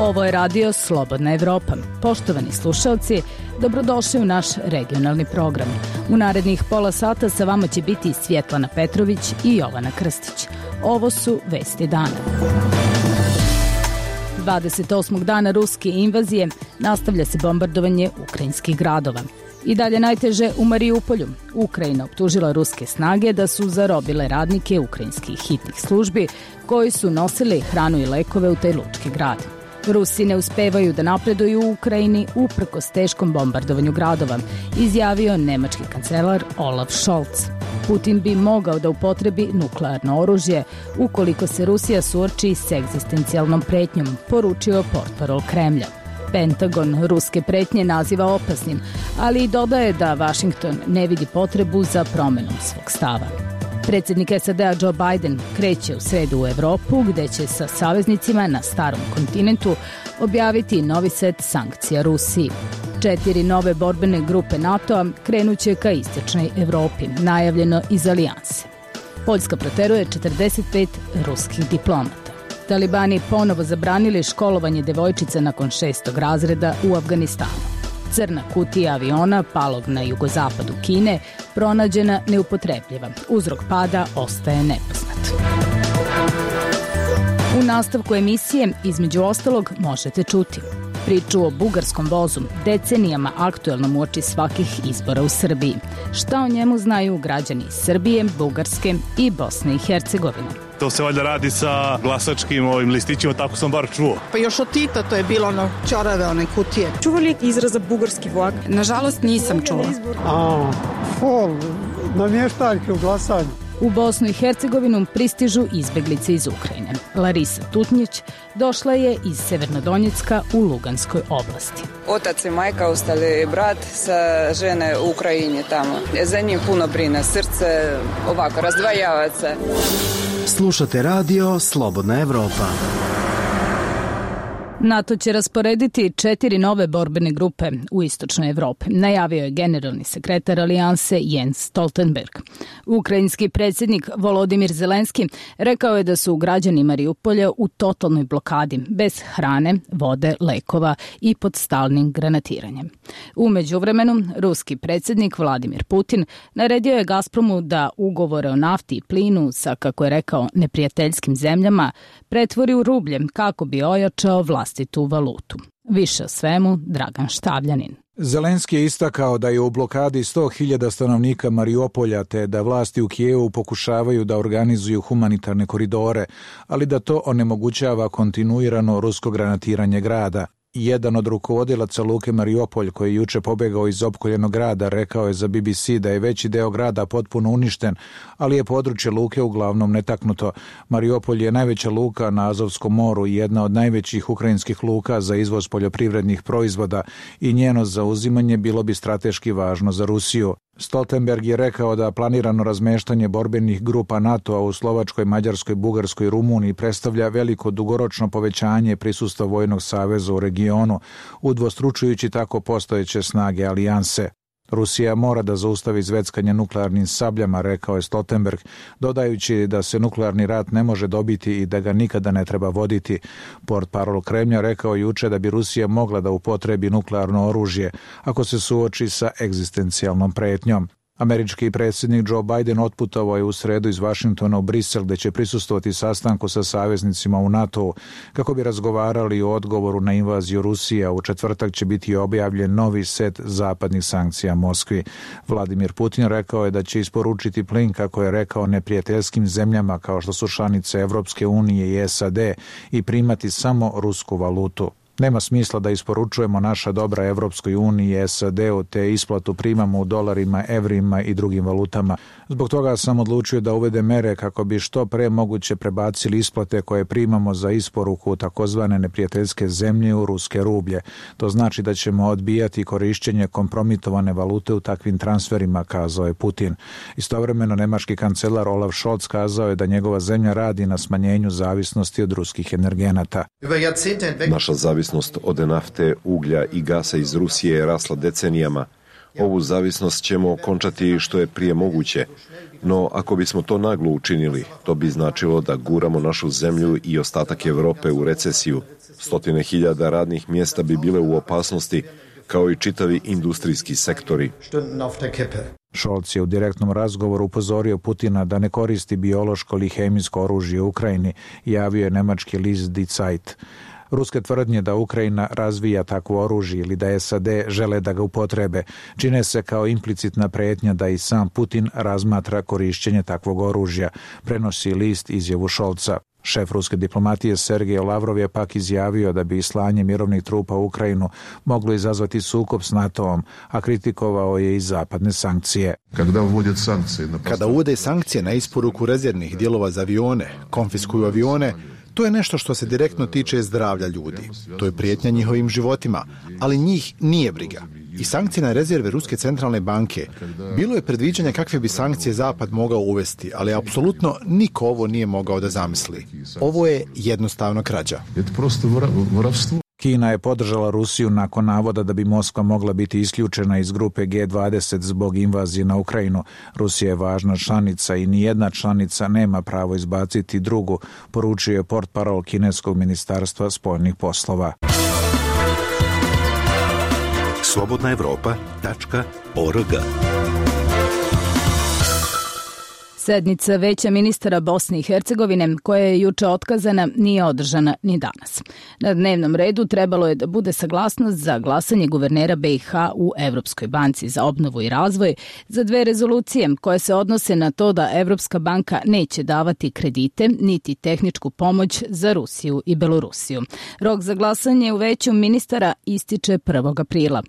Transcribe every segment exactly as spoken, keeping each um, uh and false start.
Ovo je radio Slobodna Evropa. Poštovani slušalci, dobrodošli u naš regionalni program. U narednih pola sata sa vama će biti Svjetlana Petrović i Jovana Krstić. Ovo su vesti dana. dvadeset osmog dana ruske invazije nastavlja se bombardovanje ukrajinskih gradova. I dalje najteže u Mariupolju. Ukrajina optužila ruske snage da su zarobile radnike ukrajinskih hitnih službi koji su nosili hranu i lekove u taj lučki grad. Rusi ne uspevaju da napreduju u Ukrajini uprkos teškom bombardovanju gradova, izjavio nemački kancelar Olaf Scholz. Putin bi mogao da upotrebi nuklearno oružje ukoliko se Rusija suoči s egzistencijalnom pretnjom, poručio portparol Kremlja. Pentagon ruske pretnje naziva opasnim, ali i dodaje da Washington ne vidi potrebu za promenom svog stava. Predsjednik S A D-a Joe Biden kreće u sredu u Evropu, gde će sa saveznicima na starom kontinentu objaviti novi set sankcija Rusiji. Četiri nove borbene grupe NATO-a krenuće ka istočnoj Evropi, najavljeno iz alijanse. Poljska proteruje četrdeset pet ruskih diplomata. Talibani ponovo zabranili školovanje devojčica nakon šestog razreda u Afganistanu. Crna kutija aviona palog na jugozapadu Kine pronađena neupotrebljiva. Uzrok pada ostaje nepoznat. U nastavku emisije, između ostalog, možete čuti priču o bugarskom vozu, decenijama aktuelnom uoči svakih izbora u Srbiji. Šta o njemu znaju građani Srbije, Bugarske i Bosne i Hercegovine? To se valjda radi sa glasačkim ovim listićima, tako sam bar čuo. Pa još od Tita to je bilo ono čorave, one kutije. Čuvali izraza bugarski vlak? Nažalost nisam čula. A, fol, namještaljke u glasanju. U Bosnu i Hercegovinu pristižu izbeglice iz Ukrajine. Larisa Tutnjić došla je iz Severnodonjecka u Luganskoj oblasti. Otac i majka ostali brat sa žene u Ukrajini tamo. Za njim puno brine, srce ovako razdvajava se. Slušate radio Slobodna Evropa. NATO će rasporediti četiri nove borbene grupe u istočnoj Evropi, najavio je generalni sekretar alijanse Jens Stoltenberg. Ukrajinski predsjednik Volodimir Zelenski rekao je da su građani Mariupolja u totalnoj blokadi, bez hrane, vode, lekova i pod stalnim granatiranjem. U međuvremenu, ruski predsjednik Vladimir Putin naredio je Gazpromu da ugovore o nafti i plinu sa, kako je rekao, neprijateljskim zemljama pretvori u rublje kako bi ojačao vlastitu valutu. Više o svemu Dragan Štavljanin. Zelenski je istakao da je u blokadi sto hiljada stanovnika Mariupolja te da vlasti u Kijevu pokušavaju da organizuju humanitarne koridore, ali da to onemogućava kontinuirano rusko granatiranje grada. Jedan od rukovodilaca luke Mariupolj, koji je juče pobegao iz opkoljenog grada, rekao je za B B C da je veći deo grada potpuno uništen, ali je područje luke uglavnom netaknuto. Mariupolj je najveća luka na Azovskom moru i jedna od najvećih ukrajinskih luka za izvoz poljoprivrednih proizvoda i njeno zauzimanje bilo bi strateški važno za Rusiju. Stoltenberg je rekao da planirano razmeštanje borbenih grupa NATO-a u Slovačkoj, Mađarskoj, Bugarskoj i Rumuniji predstavlja veliko dugoročno povećanje prisustva vojnog saveza u regionu, udvostručujući tako postojeće snage alijanse. Rusija mora da zaustavi zveckanje nuklearnim sabljama, rekao je Stoltenberg, dodajući da se nuklearni rat ne može dobiti i da ga nikada ne treba voditi. Portparol Kremlja rekao juče da bi Rusija mogla da upotrebi nuklearno oružje ako se suoči sa egzistencijalnom pretnjom. Američki predsjednik Joe Biden otputovao je u sredu iz Washingtona u Brisel, gde će prisustvovati sastanku sa saveznicima u NATO-u kako bi razgovarali o odgovoru na invaziju Rusije, a u četvrtak će biti objavljen novi set zapadnih sankcija Moskvi. Vladimir Putin rekao je da će isporučiti plin, kako je rekao, neprijateljskim zemljama kao što su članice Evropske unije i S A D i primati samo rusku valutu. Nema smisla da isporučujemo naša dobra Evropskoj uniji i S A D-u, te isplatu primamo u dolarima, evrima i drugim valutama. Zbog toga sam odlučio da uvede mere kako bi što pre moguće prebacili isplate koje primamo za isporuku takozvane neprijateljske zemlje u ruske rublje. To znači da ćemo odbijati korišćenje kompromitovane valute u takvim transferima, kazao je Putin. Istovremeno, nemački kancelar Olaf Scholz kazao je da njegova zemlja radi na smanjenju zavisnosti od ruskih energenata. Naša zavisnost od nafte, uglja i gasa iz Rusije je rasla decenijama. Ovu zavisnost ćemo okončati što je prije moguće. No, ako bismo to naglo učinili, to bi značilo da guramo našu zemlju i ostatak Europe u recesiju. Stotine hiljada radnih mjesta bi bile u opasnosti, kao i čitavi industrijski sektori. Scholz je u direktnom razgovoru upozorio Putina da ne koristi biološko ili hemijsko oružje u Ukrajini, javio je nemački list Die Zeit. Ruske tvrdnje da Ukrajina razvija takvo oružje ili da S A D žele da ga upotrebe čine se kao implicitna prijetnja da i sam Putin razmatra korišćenje takvog oružja, prenosi list izjavu Scholza. Šef ruske diplomatije Sergej Lavrov je pak izjavio da bi slanje mirovnih trupa u Ukrajinu moglo izazvati sukob s NATO-om, a kritikovao je i zapadne sankcije. Kada uvode sankcije na isporuku rezervnih dijelova za avione, konfiskuju avione, to je nešto što se direktno tiče zdravlja ljudi. To je prijetnja njihovim životima, ali njih nije briga. I sankcije na rezerve Ruske centralne banke. Bilo je predviđanja kakve bi sankcije Zapad mogao uvesti, ali apsolutno niko ovo nije mogao da zamisli. Ovo je jednostavno krađa. Kina je podržala Rusiju nakon navoda da bi Moskva mogla biti isključena iz grupe G dvadeset zbog invazije na Ukrajinu. Rusija je važna članica i nijedna članica nema pravo izbaciti drugu, poručio je portparol kineskog ministarstva spoljnih poslova. slobodna evropa tačka org. Sednica Veća ministara Bosne i Hercegovine, koja je juče otkazana, nije održana ni danas. Na dnevnom redu trebalo je da bude saglasnost za glasanje guvernera B i H u Evropskoj banci za obnovu i razvoj za dve rezolucije koje se odnose na to da Evropska banka neće davati kredite niti tehničku pomoć za Rusiju i Belorusiju. Rok za glasanje u Veću ministara ističe prvog aprila.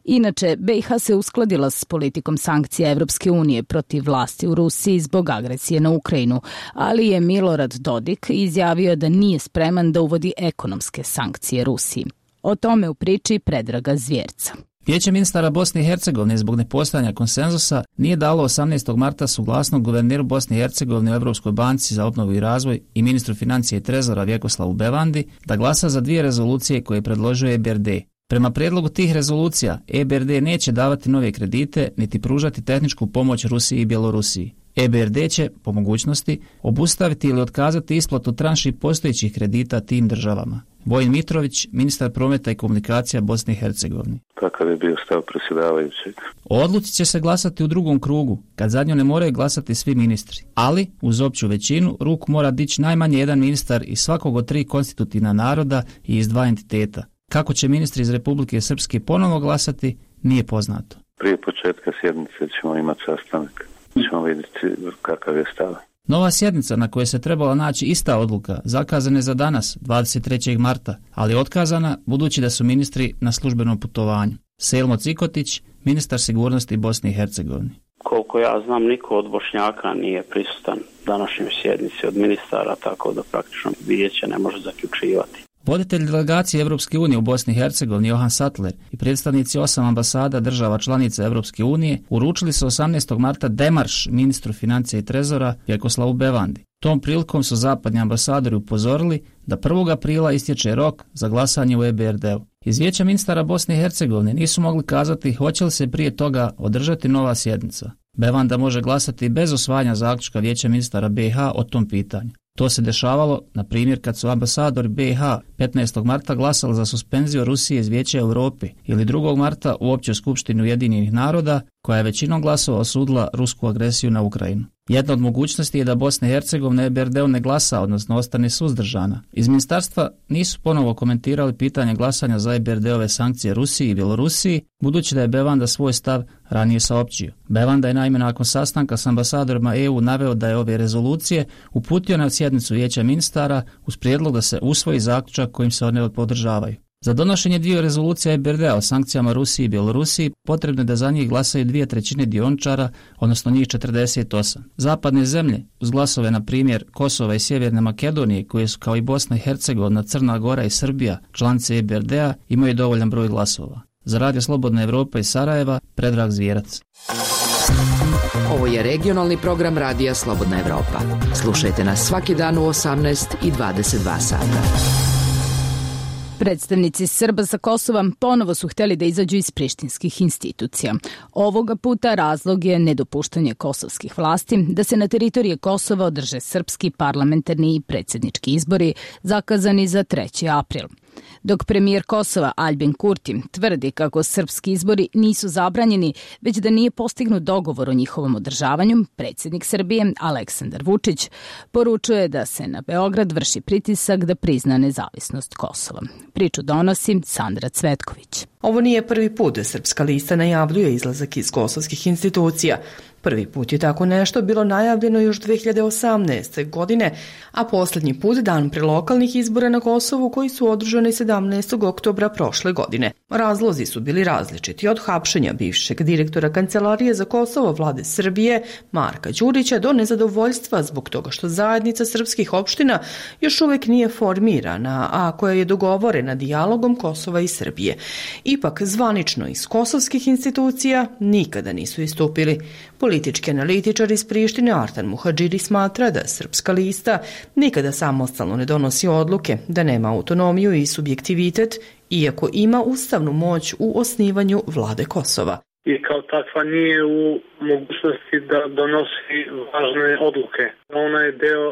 Inače, B i H se uskladila s politikom sankcija Evropske unije protiv vlasti u Rusiji zbog agresije na Ukrajinu, ali je Milorad Dodik izjavio da nije spreman da uvodi ekonomske sankcije Rusiji. O tome u priči Predraga Zvjerca. Vijeće ministara Bosne i Hercegovine zbog nepostojanja konsenzusa nije dalo osamnaestog marta suglasnost guverneru Bosne i Hercegovine u Evropskoj banci za obnovu i razvoj i ministru financije i trezora Vjekoslavu Bevandi da glasa za dvije rezolucije koje je predložio E B R D. Prema prijedlogu tih rezolucija, E B R D neće davati nove kredite niti pružati tehničku pomoć Rusiji i Bjelorusiji. E B R D će, po mogućnosti, obustaviti ili otkazati isplatu tranši postojećih kredita tim državama. Vojin Mitrović, ministar prometa i komunikacija Bosne i Hercegovine. Kakav je bio stav predsjedavajućeg? O odluci će se glasati u drugom krugu, kad za nju ne moraju glasati svi ministri. Ali, uz opću većinu, ruku mora dići najmanje jedan ministar iz svakog od tri konstitutivna naroda i iz dva entiteta. Kako će ministri iz Republike Srpske ponovo glasati, nije poznato. Prije početka sjednice ćemo imati sastanak. Ćemo vidjeti kakav je stav. Nova sjednica na kojoj se trebala naći ista odluka zakazana je za danas, dvadeset trećeg marta, ali otkazana budući da su ministri na službenom putovanju. Selmo Cikotić, ministar sigurnosti Bosne i Hercegovine. Koliko ja znam, niko od Bošnjaka nije prisutan današnjoj sjednici od ministara, tako da praktično vijeće ne može zaključivati. Voditelj delegacije Evropske unije u Bosni i Hercegovini Johan Sattler i predstavnici osam ambasada država članica Evropske unije uručili su osamnaestog marta demarš ministru financija i trezora Vjekoslavu Bevandi. Tom prilikom su zapadni ambasadori upozorili da prvog aprila istječe rok za glasanje u E B R D-u. Iz Vijeća ministara Bosne i Hercegovine nisu mogli kazati hoće li se prije toga održati nova sjednica. Bevanda može glasati bez usvajanja zaključka Vijeća ministara B i H o tom pitanju. To se dešavalo, na primjer, kad su ambasadori B i H petnaestog marta glasali za suspenziju Rusije iz Vijeća Europe ili drugog marta u Općoj skupštini Ujedinjenih naroda, koja je većinom glasova osudila rusku agresiju na Ukrajinu. Jedna od mogućnosti je da Bosna i Hercegovina E B R D-u ne glasa, odnosno ostane suzdržana. Iz ministarstva nisu ponovo komentirali pitanje glasanja za E B R D-ove sankcije Rusiji i Bjelorusiji, budući da je Bevanda svoj stav ranije saopćio. Bevanda je naime nakon sastanka s ambasadorima E U naveo da je ove rezolucije uputio na sjednicu Vijeća ministara uz prijedlog da se usvoji zaključak kojim se one podržavaju. Za donošenje dvije rezolucija E B R D-a o sankcijama Rusiji i Bjelorusiji potrebno je da za njih glasaju dvije trećine dioničara, odnosno njih četrdeset osam. Zapadne zemlje, uz glasove na primjer Kosova i Sjeverne Makedonije, koje su kao i Bosna i Hercegovina, Crna Gora i Srbija članice E B R D-a, imaju dovoljan broj glasova. Za Radio Slobodna Evropa iz Sarajeva, Predrag Zvjerac. Ovo je regionalni program Radija Slobodna Evropa. Slušajte nas svaki dan u osamnaest i dvadeset dva sata. Predstavnici Srba sa Kosova ponovo su hteli da izađu iz prištinskih institucija. Ovoga puta razlog je nedopuštanje kosovskih vlasti da se na teritoriji Kosova održe srpski parlamentarni i predsjednički izbori zakazani za treći april. Dok premijer Kosova Aljbin Kurti tvrdi kako srpski izbori nisu zabranjeni, već da nije postignut dogovor o njihovom održavanju, predsjednik Srbije Aleksandar Vučić poručuje da se na Beograd vrši pritisak da prizna nezavisnost Kosova. Priču donosi Sandra Cvetković. Ovo nije prvi put da Srpska lista najavljuje izlazak iz kosovskih institucija. Prvi put je tako nešto bilo najavljeno još dve hiljade osamnaeste. godine, a posljednji put dan pre lokalnih izbora na Kosovu koji su održani sedamnaestog oktobra prošle godine. Razlozi su bili različiti, od hapšenja bivšeg direktora Kancelarije za Kosovo vlade Srbije Marka Đurića do nezadovoljstva zbog toga što zajednica srpskih opština još uvijek nije formirana, a koja je dogovorena dijalogom Kosova i Srbije. Ipak zvanično iz kosovskih institucija nikada nisu istupili. Politički analitičar iz Prištine Artan Muhadžiri smatra da Srpska lista nikada samostalno ne donosi odluke, da nema autonomiju i subjektivitet, iako ima ustavnu moć u osnivanju vlade Kosova. I kao takva nije u mogućnosti da donosi važne odluke. Ona je deo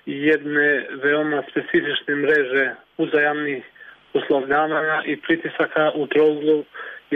jedne veoma specifične mreže uzajamnih uslovljavanja i pritisaka u trouglu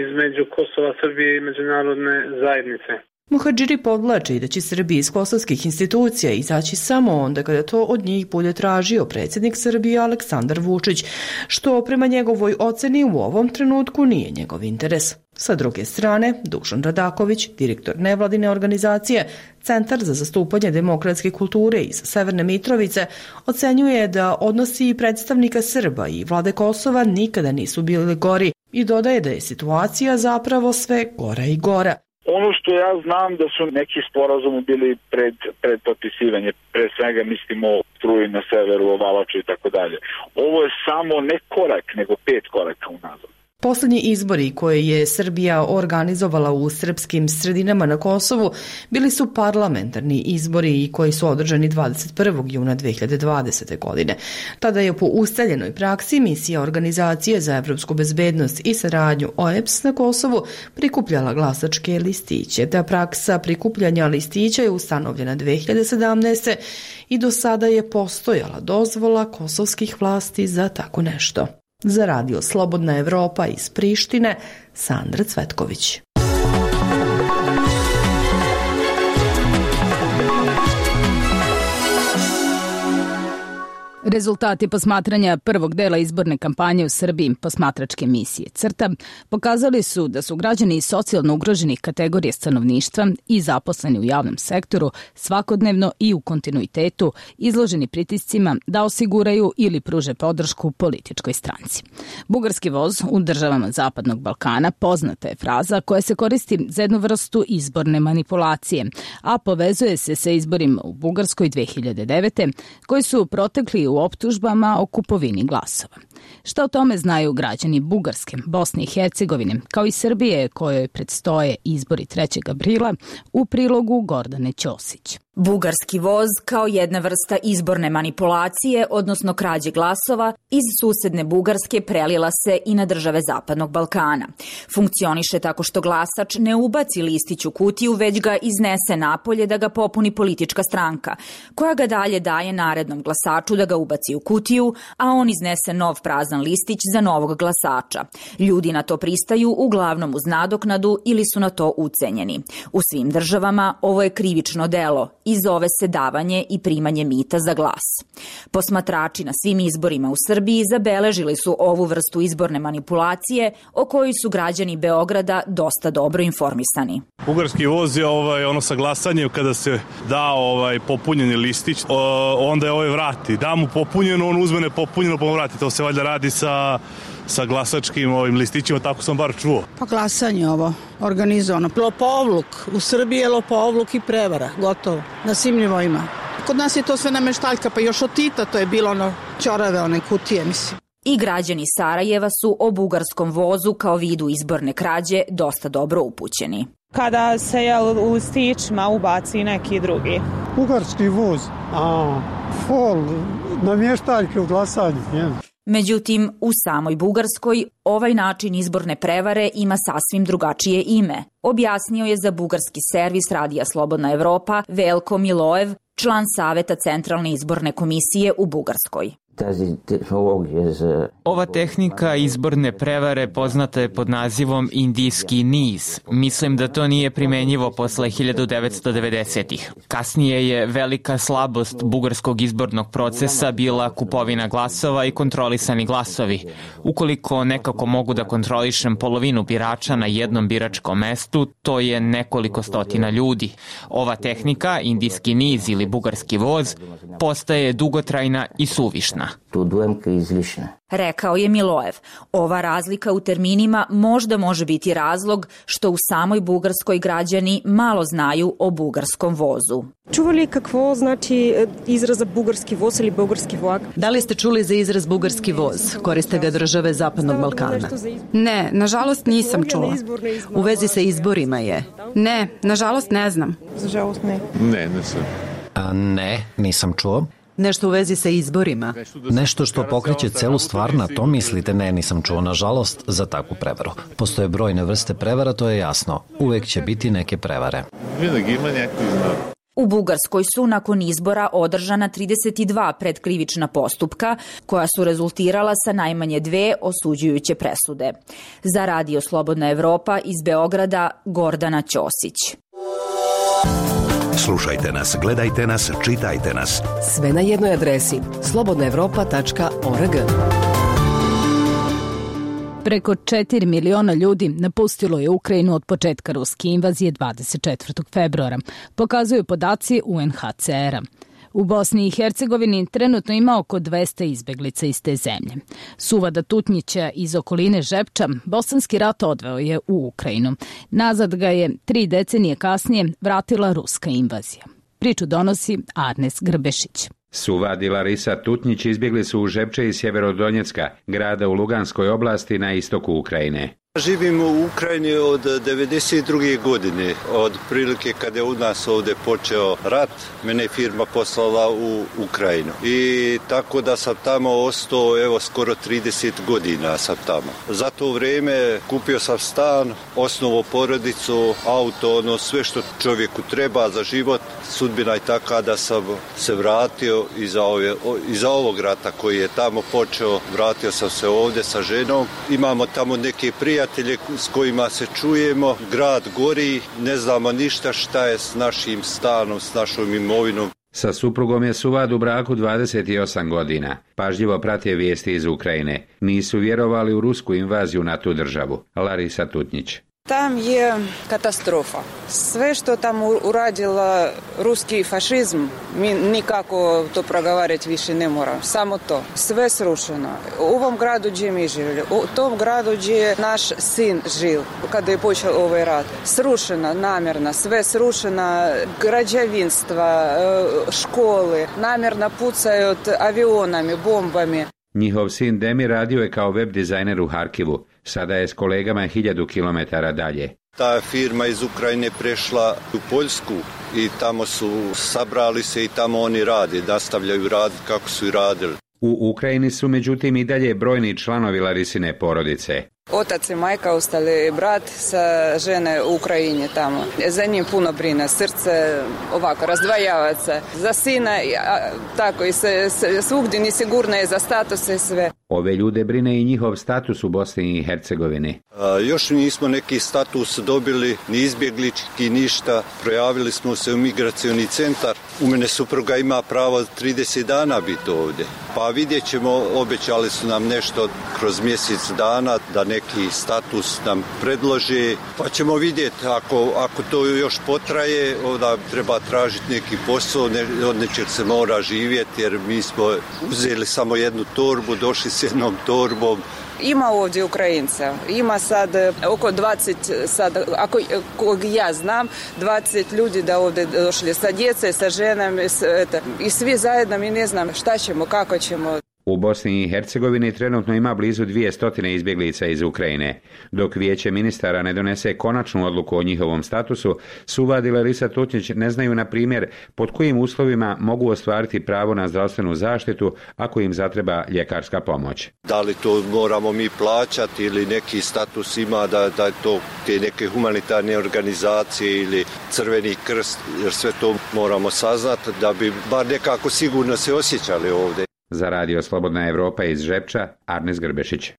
između Kosova, Srbije i međunarodne zajednice. Muhadžiri podvlači da će Srbija iz kosovskih institucija izaći samo onda kada to od njih bude tražio predsjednik Srbije Aleksandar Vučić, što prema njegovoj oceni u ovom trenutku nije njegov interes. Sa druge strane, Dušan Radaković, direktor nevladine organizacije Centar za zastupanje demokratske kulture iz Severne Mitrovice, ocenjuje da odnosi predstavnika Srba i vlade Kosova nikada nisu bili gori i dodaje da je situacija zapravo sve gora i gora. Ono što ja znam da su neki sporazumi bili pred, pred potpisivanje, pre svega mislimo o struji na severu, o Valaču i tako dalje. Ovo je samo ne korak, nego pet koraka unazad. Posljednji izbori koje je Srbija organizovala u srpskim sredinama na Kosovu bili su parlamentarni izbori i koji su održani dvadeset prvog juna dve hiljade dvadesete. godine. Tada je po ustaljenoj praksi misija Organizacije za evropsku bezbednost i saradnju O E B S na Kosovu prikupljala glasačke listiće. Ta praksa prikupljanja listića je ustanovljena dve hiljade sedamnaeste. i do sada je postojala dozvola kosovskih vlasti za tako nešto. Za radio Slobodna Evropa iz Prištine, Sandra Cvetković. Rezultati posmatranja prvog dela izborne kampanje u Srbiji, posmatračke misije CRTA, pokazali su da su građani iz socijalno ugroženih kategorija stanovništva i zaposleni u javnom sektoru svakodnevno i u kontinuitetu izloženi pritiscima da osiguraju ili pruže podršku političkoj stranci. Bugarski voz u državama Zapadnog Balkana poznata je fraza koja se koristi za jednu vrstu izborne manipulacije, a povezuje se sa izborima u Bugarskoj dve hiljade devete. koji su protekli u optužbama o kupovini glasova. Šta o tome znaju građani Bugarske, Bosne i Hercegovine, kao i Srbije kojoj predstoje izbori trećeg aprila, u prilogu Gordane Ćosić. Bugarski voz kao jedna vrsta izborne manipulacije, odnosno krađe glasova, iz susedne Bugarske prelila se i na države Zapadnog Balkana. Funkcioniše tako što glasač ne ubaci listić u kutiju, već ga iznese napolje da ga popuni politička stranka, koja ga dalje daje narednom glasaču da ga ubaci u kutiju, a on iznese nov prazan listić za novog glasača. Ljudi na to pristaju uglavnom uz nadoknadu ili su na to ucenjeni. U svim državama ovo je krivično delo i zove se davanje i primanje mita za glas. Posmatrači na svim izborima u Srbiji zabeležili su ovu vrstu izborne manipulacije o kojoj su građani Beograda dosta dobro informisani. Bugarski voz je ovaj, ono sa glasanjem kada se da ovaj, popunjeni listić, o, onda je ovaj vrati. Da mu popunjeno, on uzme nepopunjeno pa mu vrati. To se valjda radi sa... sa glasačkim ovim listićima, tako sam bar čuo. Pa glasanje ovo, organizovano. Lopovluk, u Srbiji je lopovluk i prevara, gotovo, na svim nivoima. Kod nas je to sve nameštaljka, pa još od Tita to je bilo ono ćorave, one kutije, mislim. I građani Sarajeva su o bugarskom vozu kao vidu izborne krađe dosta dobro upućeni. Kada se je u listićima ubaci neki drugi. Bugarski voz, a, fol, namještaljke u glasanju, jel? Međutim, u samoj Bugarskoj ovaj način izborne prevare ima sasvim drugačije ime. Objasnio je za bugarski servis Radija Slobodna Evropa Velko Milojev, član Saveta Centralne izborne komisije u Bugarskoj. Ova tehnika izborne prevare poznata je pod nazivom indijski niz. Mislim da to nije primenjivo posle hiljadu devetsto devedesetih. Kasnije je velika slabost bugarskog izbornog procesa bila kupovina glasova i kontrolisani glasovi. Ukoliko nekako mogu da kontrolišem polovinu birača na jednom biračkom mestu, to je nekoliko stotina ljudi. Ova tehnika, indijski niz ili bugarski voz, postaje dugotrajna i suvišna. Rekao je Milojev. Ova razlika u terminima možda može biti razlog što u samoj Bugarskoj građani malo znaju o bugarskom vozu. Čuvali kakvo znači izraza bugarski voz ili bugarski vlak? Da li ste čuli za izraz bugarski voz? Koriste ga države Zapadnog Balkana. Ne, nažalost nisam čula. U vezi sa izborima je? Ne, nažalost ne znam. Nažalost ne. Ne, nisam. A, ne, nisam čuo. Nešto u vezi sa izborima? Nešto što pokreće celu stvar, na to mislite? Ne, nisam čuo, nažalost, za takvu prevaru. Postoje brojne vrste prevara, to je jasno. Uvek će biti neke prevare. U Bugarskoj su nakon izbora održana trideset dva predkrivična postupka koja su rezultirala sa najmanje dve osuđujuće presude. Za Radio Slobodna Evropa iz Beograda Gordana Ćosić. Slušajte nas, gledajte nas, čitajte nas. Sve na jednoj adresi slobodna evropa tačka org. Preko četiri miliona ljudi napustilo je Ukrajinu od početka ruske invazije dvadeset četvrtog februara, pokazuju podaci U N H C R-a. U Bosni i Hercegovini trenutno ima oko dvesta izbeglica iz te zemlje. Suvada Tutnjića iz okoline Žepča bosanski rat odveo je u Ukrajinu. Nazad ga je tri decenije kasnije vratila ruska invazija. Priču donosi Arnes Grbešić. Suvad i Larisa Tutnjić izbjegli su u Žepče iz Sjeverodonjecka, grada u Luganskoj oblasti na istoku Ukrajine. Živim u Ukrajini od devedeset druge godine, od prilike kada je u nas ovdje počeo rat, mene je firma poslala u Ukrajinu. I tako da sam tamo ostao, evo, skoro trideset godina sam tamo. Za to vrijeme kupio sam stan, osnovao porodicu, auto, ono sve što čovjeku treba za život. Sudbina je taka da sam se vratio iza, ove, iza ovog rata koji je tamo počeo. Vratio sam se ovdje sa ženom. Imamo tamo neke prijatelje s kojima se čujemo, grad gori, ne znamo ništa šta je s našim stanom, s našom imovinom. Sa suprugom je Suvad u braku dvadeset osam godina. Pažljivo prate vijesti iz Ukrajine. Nisu vjerovali u rusku invaziju na tu državu. Larisa Tutnjić. Tam je katastrofa. Sve što tam uradila ruski fašizm, mi nikako to progovarati više ne moramo. Samo to. Sve srušeno. U ovom gradu gdje mi živjeli, u tom gradu gdje je naš sin živ, kada je počeo ovaj rat. Srušena, namjerna, sve srušena, građevinstva, škole, namjerno pucaju avionami, bombami. Njihov sin Demi radio je kao web dizajner u Harkivu. Sada je s kolegama hiljadu kilometara dalje. Ta firma iz Ukrajine prešla u Poljsku i tamo su sabrali se i tamo oni rade, nastavljaju raditi kako su i radili. U Ukrajini su međutim i dalje brojni članovi Larisine porodice. Otac i majka ostali, brat sa žene u Ukrajini tamo. Za njim puno brine, srce ovako razdvajava se. Za sina, tako i se, se, svugdje nesigurno je za status i sve. Ove ljude brine i njihov status u Bosni i Hercegovini. A, još nismo neki status dobili, ni izbjeglički, ništa. Projavili smo se u migracioni centar. U mene supruga ima pravo trideset dana biti ovdje. Pa vidjet ćemo, obećali su nam nešto kroz mjesec dana da neki status nam predlože. Pa ćemo vidjeti, ako, ako to još potraje, onda treba tražiti neki posao, ne, od nečeg se mora živjeti, jer mi smo uzeli samo jednu torbu, došli s jednom torbom. Ima ovdje Ukrajinca, ima sad oko dvadeset, sad, ako kog ja znam, dvadeset ljudi da ovdje došli sa djece, sa ženama, i svi zajedno, mi ne znam šta ćemo, kako ćemo. U Bosni i Hercegovini trenutno ima blizu dvije stotine izbjeglica iz Ukrajine. Dok vijeće ministara ne donese konačnu odluku o njihovom statusu, Suvad i Larisa Tutnjić ne znaju, na primjer, pod kojim uslovima mogu ostvariti pravo na zdravstvenu zaštitu ako im zatreba ljekarska pomoć. Da li to moramo mi plaćati ili neki status ima da, da je to te neke humanitarne organizacije ili Crveni krst, jer sve to moramo saznati da bi bar nekako sigurno se osjećali ovdje. Za Radio Slobodna Evropa iz Žepča, Arnes Grbešić.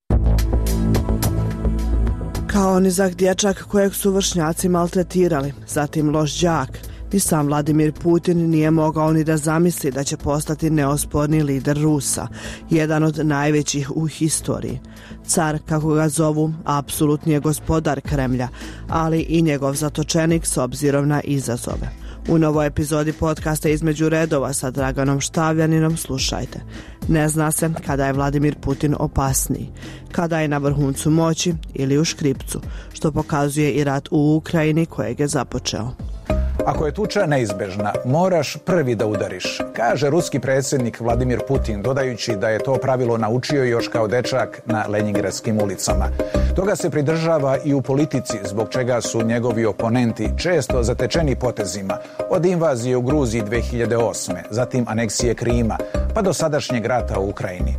Kao nizak dječak kojeg su vršnjaci maltretirali, zatim loš đak, ni sam Vladimir Putin nije mogao ni da zamisli da će postati neosporni lider Rusa, jedan od najvećih u historiji. Car, kako ga zovu, apsolutni je gospodar Kremlja, ali i njegov zatočenik s obzirom na izazove. U novoj epizodi podcasta Između redova sa Draganom Štavljaninom slušajte. Ne zna se kada je Vladimir Putin opasniji, kada je na vrhuncu moći ili u škripcu, što pokazuje i rat u Ukrajini kojeg je započeo. Ako je tuča neizbežna, moraš prvi da udariš, kaže ruski predsjednik Vladimir Putin, dodajući da je to pravilo naučio još kao dečak na Leningradskim ulicama. Toga se pridržava i u politici, zbog čega su njegovi oponenti često zatečeni potezima, od invazije u Gruziji dve hiljade osme, zatim aneksije Krima, pa do sadašnjeg rata u Ukrajini.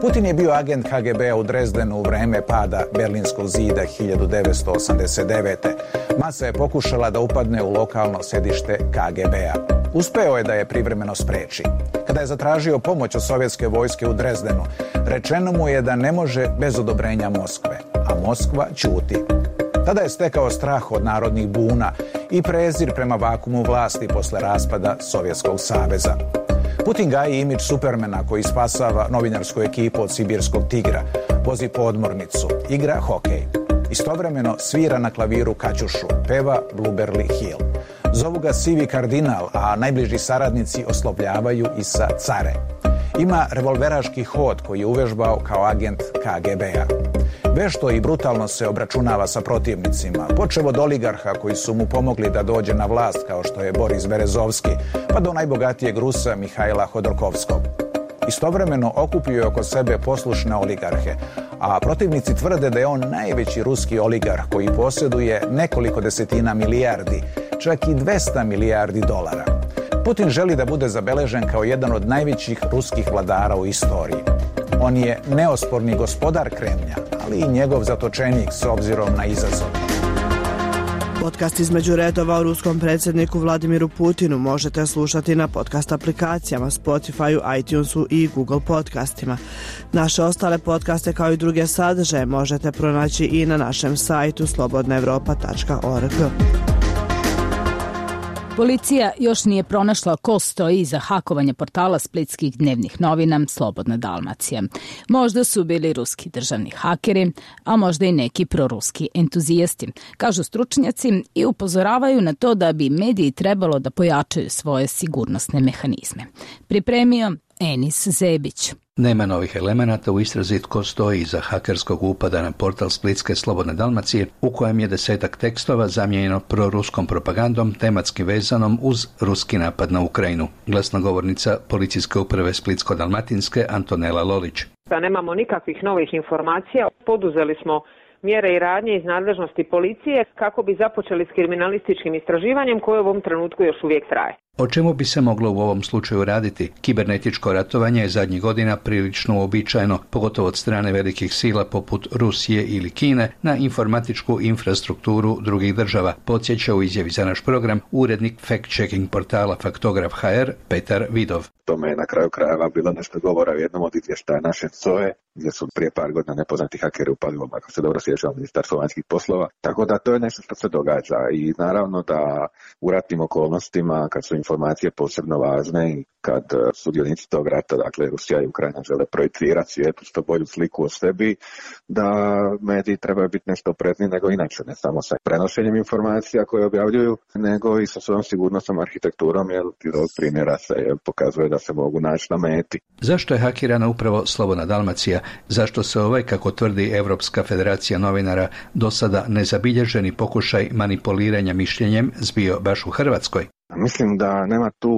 Putin je bio agent K G B-a u Drezdenu u vreme pada Berlinskog zida hiljadu devetsto osamdeset devete. Masa je pokušala da upadne u lokalno sedište K G B-a. Uspeo je da je privremeno spreči. Kada je zatražio pomoć od sovjetske vojske u Drezdenu, rečeno mu je da ne može bez odobrenja Moskve, a Moskva ćuti. Tada je stekao strah od narodnih buna i prezir prema vakumu vlasti posle raspada Sovjetskog saveza. Putin gaji imidž Supermana koji spasava novinarsku ekipu od sibirskog tigra, vozi podmornicu, igra hokej. Istovremeno svira na klaviru kaćušu, peva Blueberry Hill. Zovu ga sivi kardinal, a najbliži saradnici oslovljavaju i sa care. Ima revolveraški hod koji je uvežbao kao agent K G B-a. Vešto i brutalno se obračunava sa protivnicima, počev od oligarha koji su mu pomogli da dođe na vlast kao što je Boris Berezovski, pa do najbogatijeg Rusa Mihajla Hodorkovskog. Istovremeno okupio je oko sebe poslušne oligarhe, a protivnici tvrde da je on najveći ruski oligarh koji posjeduje nekoliko desetina milijardi, čak i dvesta milijardi dolara. Putin želi da bude zabeležen kao jedan od najvećih ruskih vladara u istoriji. On je neosporni gospodar Kremlja, ali i njegov zatočenik s obzirom na izazov. Podcast Između redova o ruskom predsjedniku Vladimiru Putinu možete slušati na podcast aplikacijama Spotify, iTunesu i Google podcastima. Naše ostale podcaste kao i druge sadržaje možete pronaći i na našem sajtu slobodna evropa tačka org. Policija još nije pronašla ko stoji iza hakovanja portala splitskih dnevnih novina Slobodna Dalmacija. Možda su bili ruski državni hakeri, a možda i neki proruski entuzijasti, kažu stručnjaci i upozoravaju na to da bi mediji trebalo da pojačaju svoje sigurnosne mehanizme. Pripremio Enis Zebić. Nema novih elemenata u istrazi tko stoji iza hakerskog upada na portal Splitske Slobodne Dalmacije, u kojem je desetak tekstova zamijenjeno proruskom propagandom tematski vezanom uz ruski napad na Ukrajinu. Glasnogovornica policijske uprave Splitsko-Dalmatinske Antonela Lolić. Da nemamo nikakvih novih informacija, poduzeli smo mjere i radnje iz nadležnosti policije kako bi započeli s kriminalističkim istraživanjem koje u ovom trenutku još uvijek traje. O čemu bi se moglo u ovom slučaju raditi? Kibernetičko ratovanje je zadnjih godina prilično uobičajeno, pogotovo od strane velikih sila poput Rusije ili Kine, na informatičku infrastrukturu drugih država, podsjeća u izjavi za naš program urednik fact-checking portala Faktograf H R Petar Vidov. Tome je na kraju krajeva bilo nešto govora u jednom od izvještaja naše S O E, gdje su prije par godina nepoznati hakeri upali u, ako se dobro sjećam, Ministarstvo vanjskih poslova. Tako da to je nešto što se događa i naravno da u ratnim okolnostima, kad su informacije posebno važne i kad sudionici tog rata, dakle Rusija i Ukrajina, žele projicirati svijetu što bolju sliku o sebi, da mediji trebaju biti nešto oprezniji nego inače, ne samo sa prenošenjem informacija koje objavljuju, nego i sa svojom sigurnosnom arhitekturom, jer iz ovog primjera se pokazuje da se mogu naći na meti. Zašto je hakirana upravo Slobodna Dalmacija? Zašto se ovaj, kako tvrdi Europska federacija novinara, do sada nezabilježeni pokušaj manipuliranja mišljenjem zbio baš u Hrvatskoj? Mislim da nema tu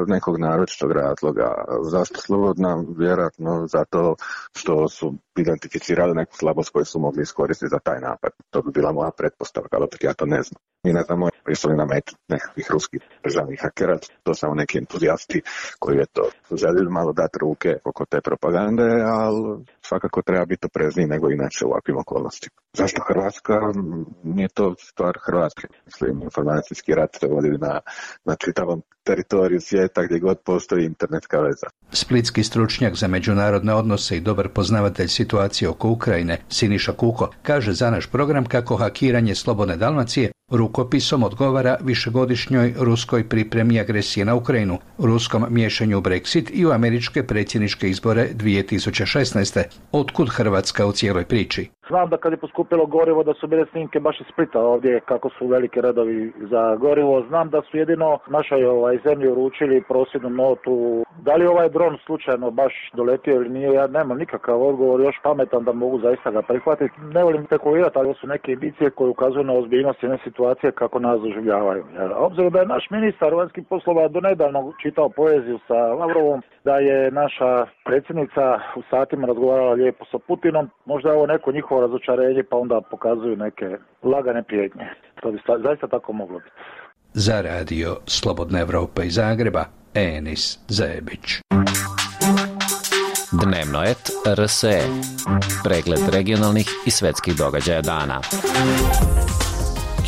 nekog naročitog razloga. Zašto slobodna? Vjerojatno zato što su identificirali neku slabost koju su mogli iskoristiti za taj napad. To bi bila moja pretpostavka, ali opet ja to ne znam. Mi ne znamo jesu li na metu nekakvih ruskih državnih hakera, to samo neki entuzijasti koji je to željeli malo dati ruke oko te propagande, ali svakako treba biti oprezniji nego inače u ovakvim okolnostima. Zašto Hrvatska? Nije to stvar Hrvatske. Mislim, informacijski rat se vodi na, na čitavom teritoriju svijeta gdje god postoji internetska veza. Splitski stručnjak za međunarodne odnose i dobar poznavatelj situacije oko Ukrajine, Siniša Kuko, kaže za naš program kako hakiranje Slobodne Dalmacije rukopisom odgovara višegodišnjoj ruskoj pripremi agresije na Ukrajinu, ruskom miješanju u Brexit i u američke predsjedničke izbore dvije tisuće šesnaeste. Otkud Hrvatska u cijeloj priči? Znam da kad je poskupilo gorivo da su bile snimke baš iz Splita ovdje kako su velike redovi za gorivo. Znam da su jedino našoj ovaj, zemlji uručili prosvjednu notu. Da li ovaj dron slučajno baš doletio ili nije, ja nemam nikakav odgovor još pametan da mogu zaista ga prihvatiti. Ne volim spekulirati, ali su neke indicije koje ukazuju na ozbiljnost jedne situacije kako nas doživljavaju. Obzirom da je naš ministar vanjskih poslova donedavno čitao poeziju sa Lavrovom, da je naša predsjednica u satima razgovarala lijepo sa Putinom, možda je ovo neko njihovo razočarenje pa onda pokazuju neke lagane prijetnje. To bi zaista tako moglo biti. Za radio Slobodna Evropa iz Zagreba, Enis Zebić. Dnevno et R S E. Pregled regionalnih i svetskih događaja dana.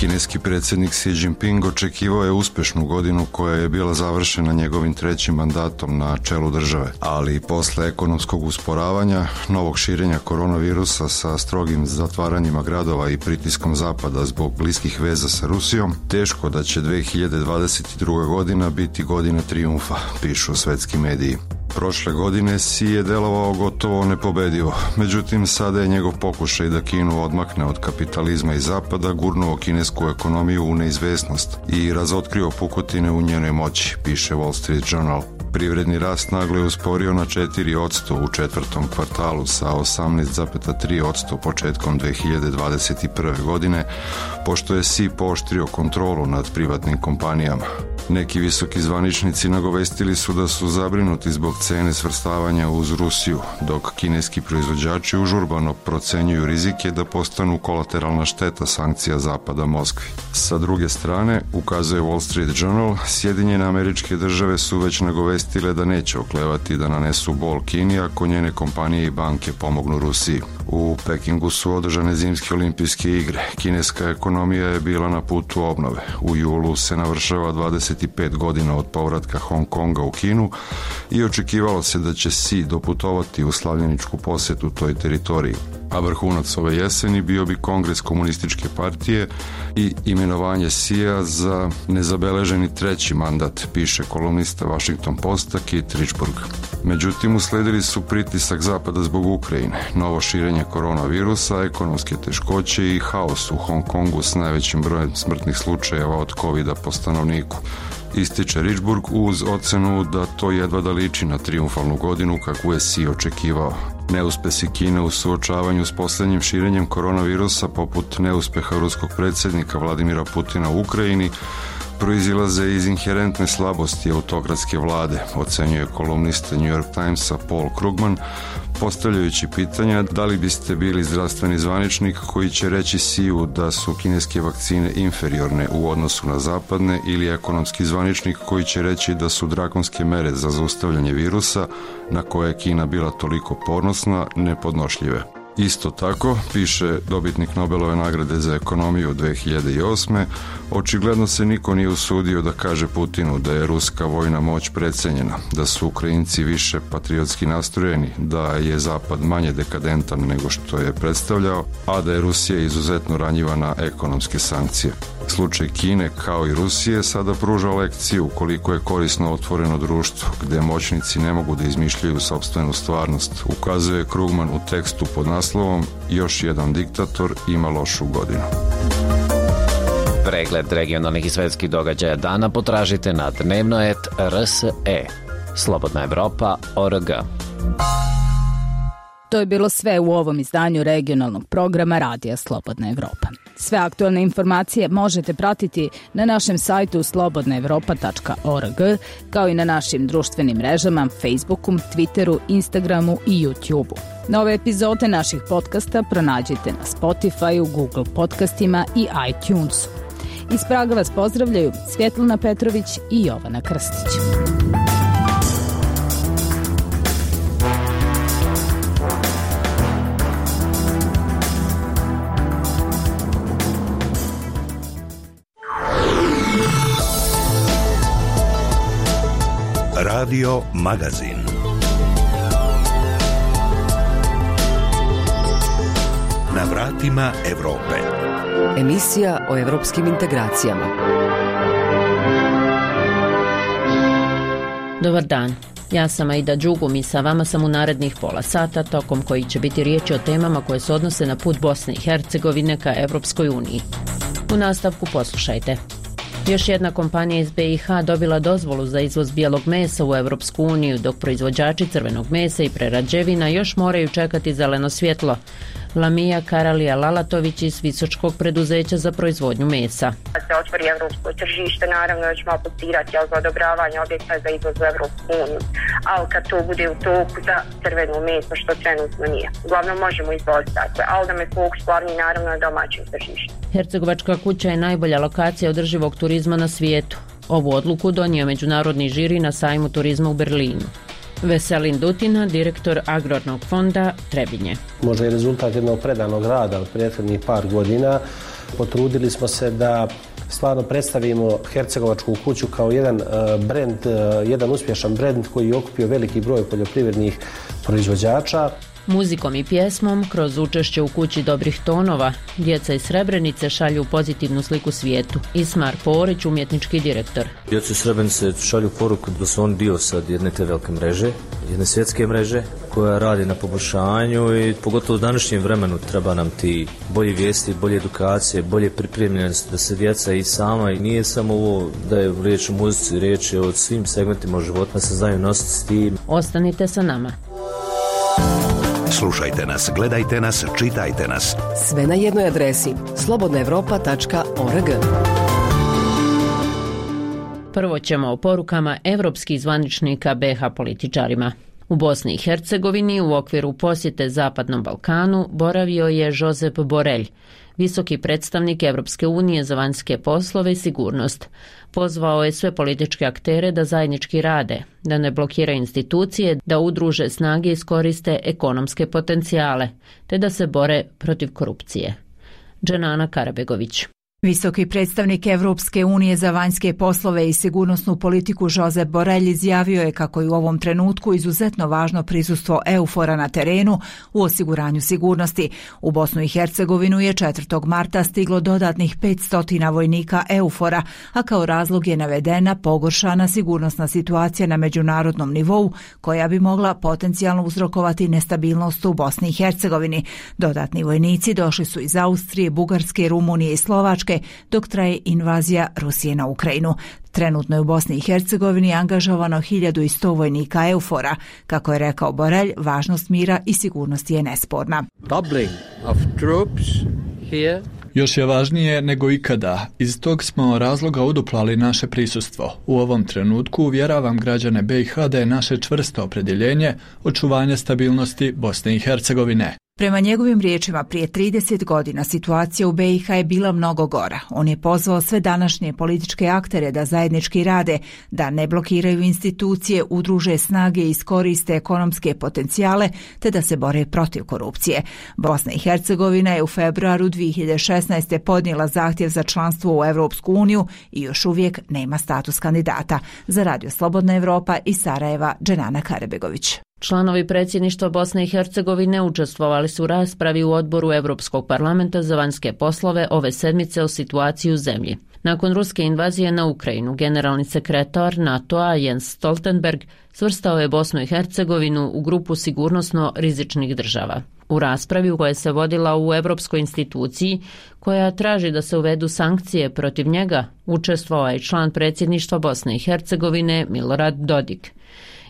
Kineski predsjednik Xi Jinping očekivao je uspješnu godinu koja je bila završena njegovim trećim mandatom na čelu države, ali posle ekonomskog usporavanja, novog širenja koronavirusa sa strogim zatvaranjima gradova i pritiskom zapada zbog bliskih veza sa Rusijom, teško da će dvije hiljade dvadeset druga. godina biti godina trijumfa, pišu svetski mediji. Prošle godine Xi je delovao gotovo nepobedivo, međutim sada je njegov pokušaj da Kinu odmakne od kapitalizma i zapada gurnuo kinesku ekonomiju u neizvesnost i razotkrio pukotine u njenoj moći, piše Wall Street Journal. Privredni rast naglo je usporio na četiri posto u četvrtom kvartalu sa osamnaest zarez tri posto početkom dvije hiljade dvadeset prve. godine, pošto je Xi pooštrio kontrolu nad privatnim kompanijama. Neki visoki zvaničnici nagovestili su da su zabrinuti zbog cene svrstavanja uz Rusiju, dok kineski proizvođači užurbano procenjuju rizike da postanu kolateralna šteta sankcija zapada Moskvi. Sa druge strane, ukazuje Wall Street Journal, Sjedinjene Američke Države su već nagovestile da neće oklevati da nanesu bol Kini ako njene kompanije i banke pomognu Rusiji. U Pekingu su održane zimske olimpijske igre. Kineska ekonomija je bila na putu obnove. U julu se navršava dvadeset pet godina od povratka Hong Konga u Kinu i očekivalo se da će Xi doputovati u slavljeničku posjetu toj teritoriji. A vrhunac ove jeseni bio bi kongres komunističke partije i imenovanje Xija za nezabeleženi treći mandat, piše kolumnista Washington Posta Kit Richburg. Međutim, usledili su pritisak zapada zbog Ukrajine, novo širenje koronavirusa, ekonomske teškoće i haos u Hong Kongu s najvećim brojem smrtnih slučajeva od kovida po stanovniku. Ističe Richburg uz ocenu da to jedva da liči na trijumfalnu godinu kakvu je Xi očekivao. Neuspesi Kine u suočavanju s posljednjim širenjem koronavirusa, poput neuspeha ruskog predsjednika Vladimira Putina u Ukrajini, proizilaze iz inherentne slabosti autokratske vlade, ocenjuje kolumnista New York Timesa Paul Krugman, postavljajući pitanja da li biste bili zdravstveni zvaničnik koji će reći Xiju da su kineske vakcine inferiorne u odnosu na zapadne ili ekonomski zvaničnik koji će reći da su drakonske mere za zaustavljanje virusa na koje je Kina bila toliko ponosna nepodnošljive. Isto tako, piše dobitnik Nobelove nagrade za ekonomiju dvije hiljade osme. Očigledno se niko nije usudio da kaže Putinu da je ruska vojna moć precenjena, da su Ukrajinci više patriotski nastrojeni, da je Zapad manje dekadentan nego što je predstavljao, a da je Rusija izuzetno ranjiva na ekonomske sankcije. Slučaj Kine, kao i Rusije, sada pruža lekciju koliko je korisno otvoreno društvo, gde moćnici ne mogu da izmišljaju sopstvenu stvarnost, ukazuje Krugman u tekstu pod naslovom Još jedan diktator ima lošu godinu. Pregled regionalnih i svetskih događaja dana potražite na dnevno et R S E. Slobodna Evropa точка о р г. To je bilo sve u ovom izdanju regionalnog programa Radija Slobodna Evropa. Sve aktualne informacije možete pratiti na našem sajtu slobodna evropa tačka org, kao i na našim društvenim mrežama, Facebooku, Twitteru, Instagramu i YouTubeu. Nove epizode naših podcasta pronađite na Spotifyu, Google podcastima i iTunesu. Iz Praga vas pozdravljaju Svjetlana Petrović i Jovana Krstić. Radio Magazin. Na vratima Evrope. Emisija o evropskim integracijama. Dobar dan. Ja sam Aida Đugum i sa vama sam u narednih pola sata, tokom koji će biti riječi o temama koje se odnose na put Bosne i Hercegovine ka Evropskoj uniji. U nastavku poslušajte. Još jedna kompanija iz be i ha dobila dozvolu za izvoz bijelog mesa u Evropsku uniju, dok proizvođači crvenog mesa i prerađevina još moraju čekati zeleno svjetlo. Lamija Karalija Lalatović iz Visočkog preduzeća za proizvodnju mesa. Kad se otvori evropsko tržište, naravno da ćemo aplicirati za odobravanje objekta za izvoz u Evropsku uniju. Ali kad to bude u toku za crveno meso, što trenutno nije. Uglavnom možemo izvoziti takve, ali da me fokus glavni naravno na domaćem tržištu. Hercegovačka kuća je najbolja lokacija održivog turizma na svijetu. Ovu odluku donio međunarodni žiri na sajmu turizma u Berlinu. Veselin Dutina, direktor Agrarnog fonda Trebinje. Možda je rezultat jednog predanog rada od prethodnih par godina. Potrudili smo se da stvarno predstavimo Hercegovačku kuću kao jedan brend, jedan uspješan brend koji je okupio veliki broj poljoprivrednih proizvođača. Muzikom i pjesmom, kroz učešće u kući dobrih tonova, djeca iz Srebrenice šalju pozitivnu sliku svijetu. Ismar Porić, umjetnički direktor. Djeca iz Srebrenice šalju poruku da su oni dio sad jedne te velike mreže, jedne svjetske mreže koja radi na poboljšanju i pogotovo u današnjem vremenu treba nam ti bolji vijesti, bolje edukacije, bolje pripremljenosti da se djeca i sama, i nije samo ovo da je riječ o muzici, riječ je o svim segmentima života, se znaju nositi s tim. Ostanite sa nama. Slušajte nas, gledajte nas, čitajte nas. Sve na jednoj adresi slobodna evropa tačka org. Prvo ćemo o porukama evropskih zvaničnika be ha političarima. U Bosni i Hercegovini u okviru posjete Zapadnom Balkanu boravio je Josep Borrell, visoki predstavnik Evropske unije za vanjske poslove i sigurnost. Pozvao je sve političke aktere da zajednički rade, da ne blokiraju institucije, da udruže snage i iskoriste ekonomske potencijale, te da se bore protiv korupcije. Dženana Karabegović. Visoki predstavnik Evropske unije za vanjske poslove i sigurnosnu politiku Josep Borrell izjavio je kako je u ovom trenutku izuzetno važno prisustvo EUFOR-a na terenu u osiguranju sigurnosti. U Bosnu i Hercegovinu je četvrtog marta stiglo dodatnih petsto vojnika EUFOR-a, a kao razlog je navedena pogoršana sigurnosna situacija na međunarodnom nivou koja bi mogla potencijalno uzrokovati nestabilnost u Bosni i Hercegovini. Dodatni vojnici došli su iz Austrije, Bugarske, Rumunije i Slovačke, dok traje invazija Rusije na Ukrajinu. Trenutno je u Bosni i Hercegovini angažovano hiljadu sto vojnika EUFOR-a. Kako je rekao Borrell, važnost mira i sigurnosti je nesporna. Doubling of troops here. Još je važnije nego ikada. Iz tog smo razloga uduplali naše prisustvo. U ovom trenutku uvjeravam građane be i ha da je naše čvrsto opredjeljenje očuvanje stabilnosti Bosne i Hercegovine. Prema njegovim riječima, prije trideset godina situacija u be i ha je bila mnogo gora. On je pozvao sve današnje političke aktere da zajednički rade, da ne blokiraju institucije, udruže snage i iskoriste ekonomske potencijale, te da se bore protiv korupcije. Bosna i Hercegovina je u februaru dvije hiljade šesnaeste. podnijela zahtjev za članstvo u Evropsku uniju i još uvijek nema status kandidata. Za Radio Slobodna Evropa iz Sarajeva, Dženana Karabegović. Članovi predsjedništva Bosne i Hercegovine učestvovali su u raspravi u odboru Europskog parlamenta za vanjske poslove ove sedmice o situaciji u zemlji. Nakon ruske invazije na Ukrajinu, generalni sekretar NATO-a Jens Stoltenberg svrstao je Bosnu i Hercegovinu u grupu sigurnosno rizičnih država. U raspravi koja se vodila u Europskoj instituciji, koja traži da se uvedu sankcije protiv njega, učestvovao je član predsjedništva Bosne i Hercegovine Milorad Dodik.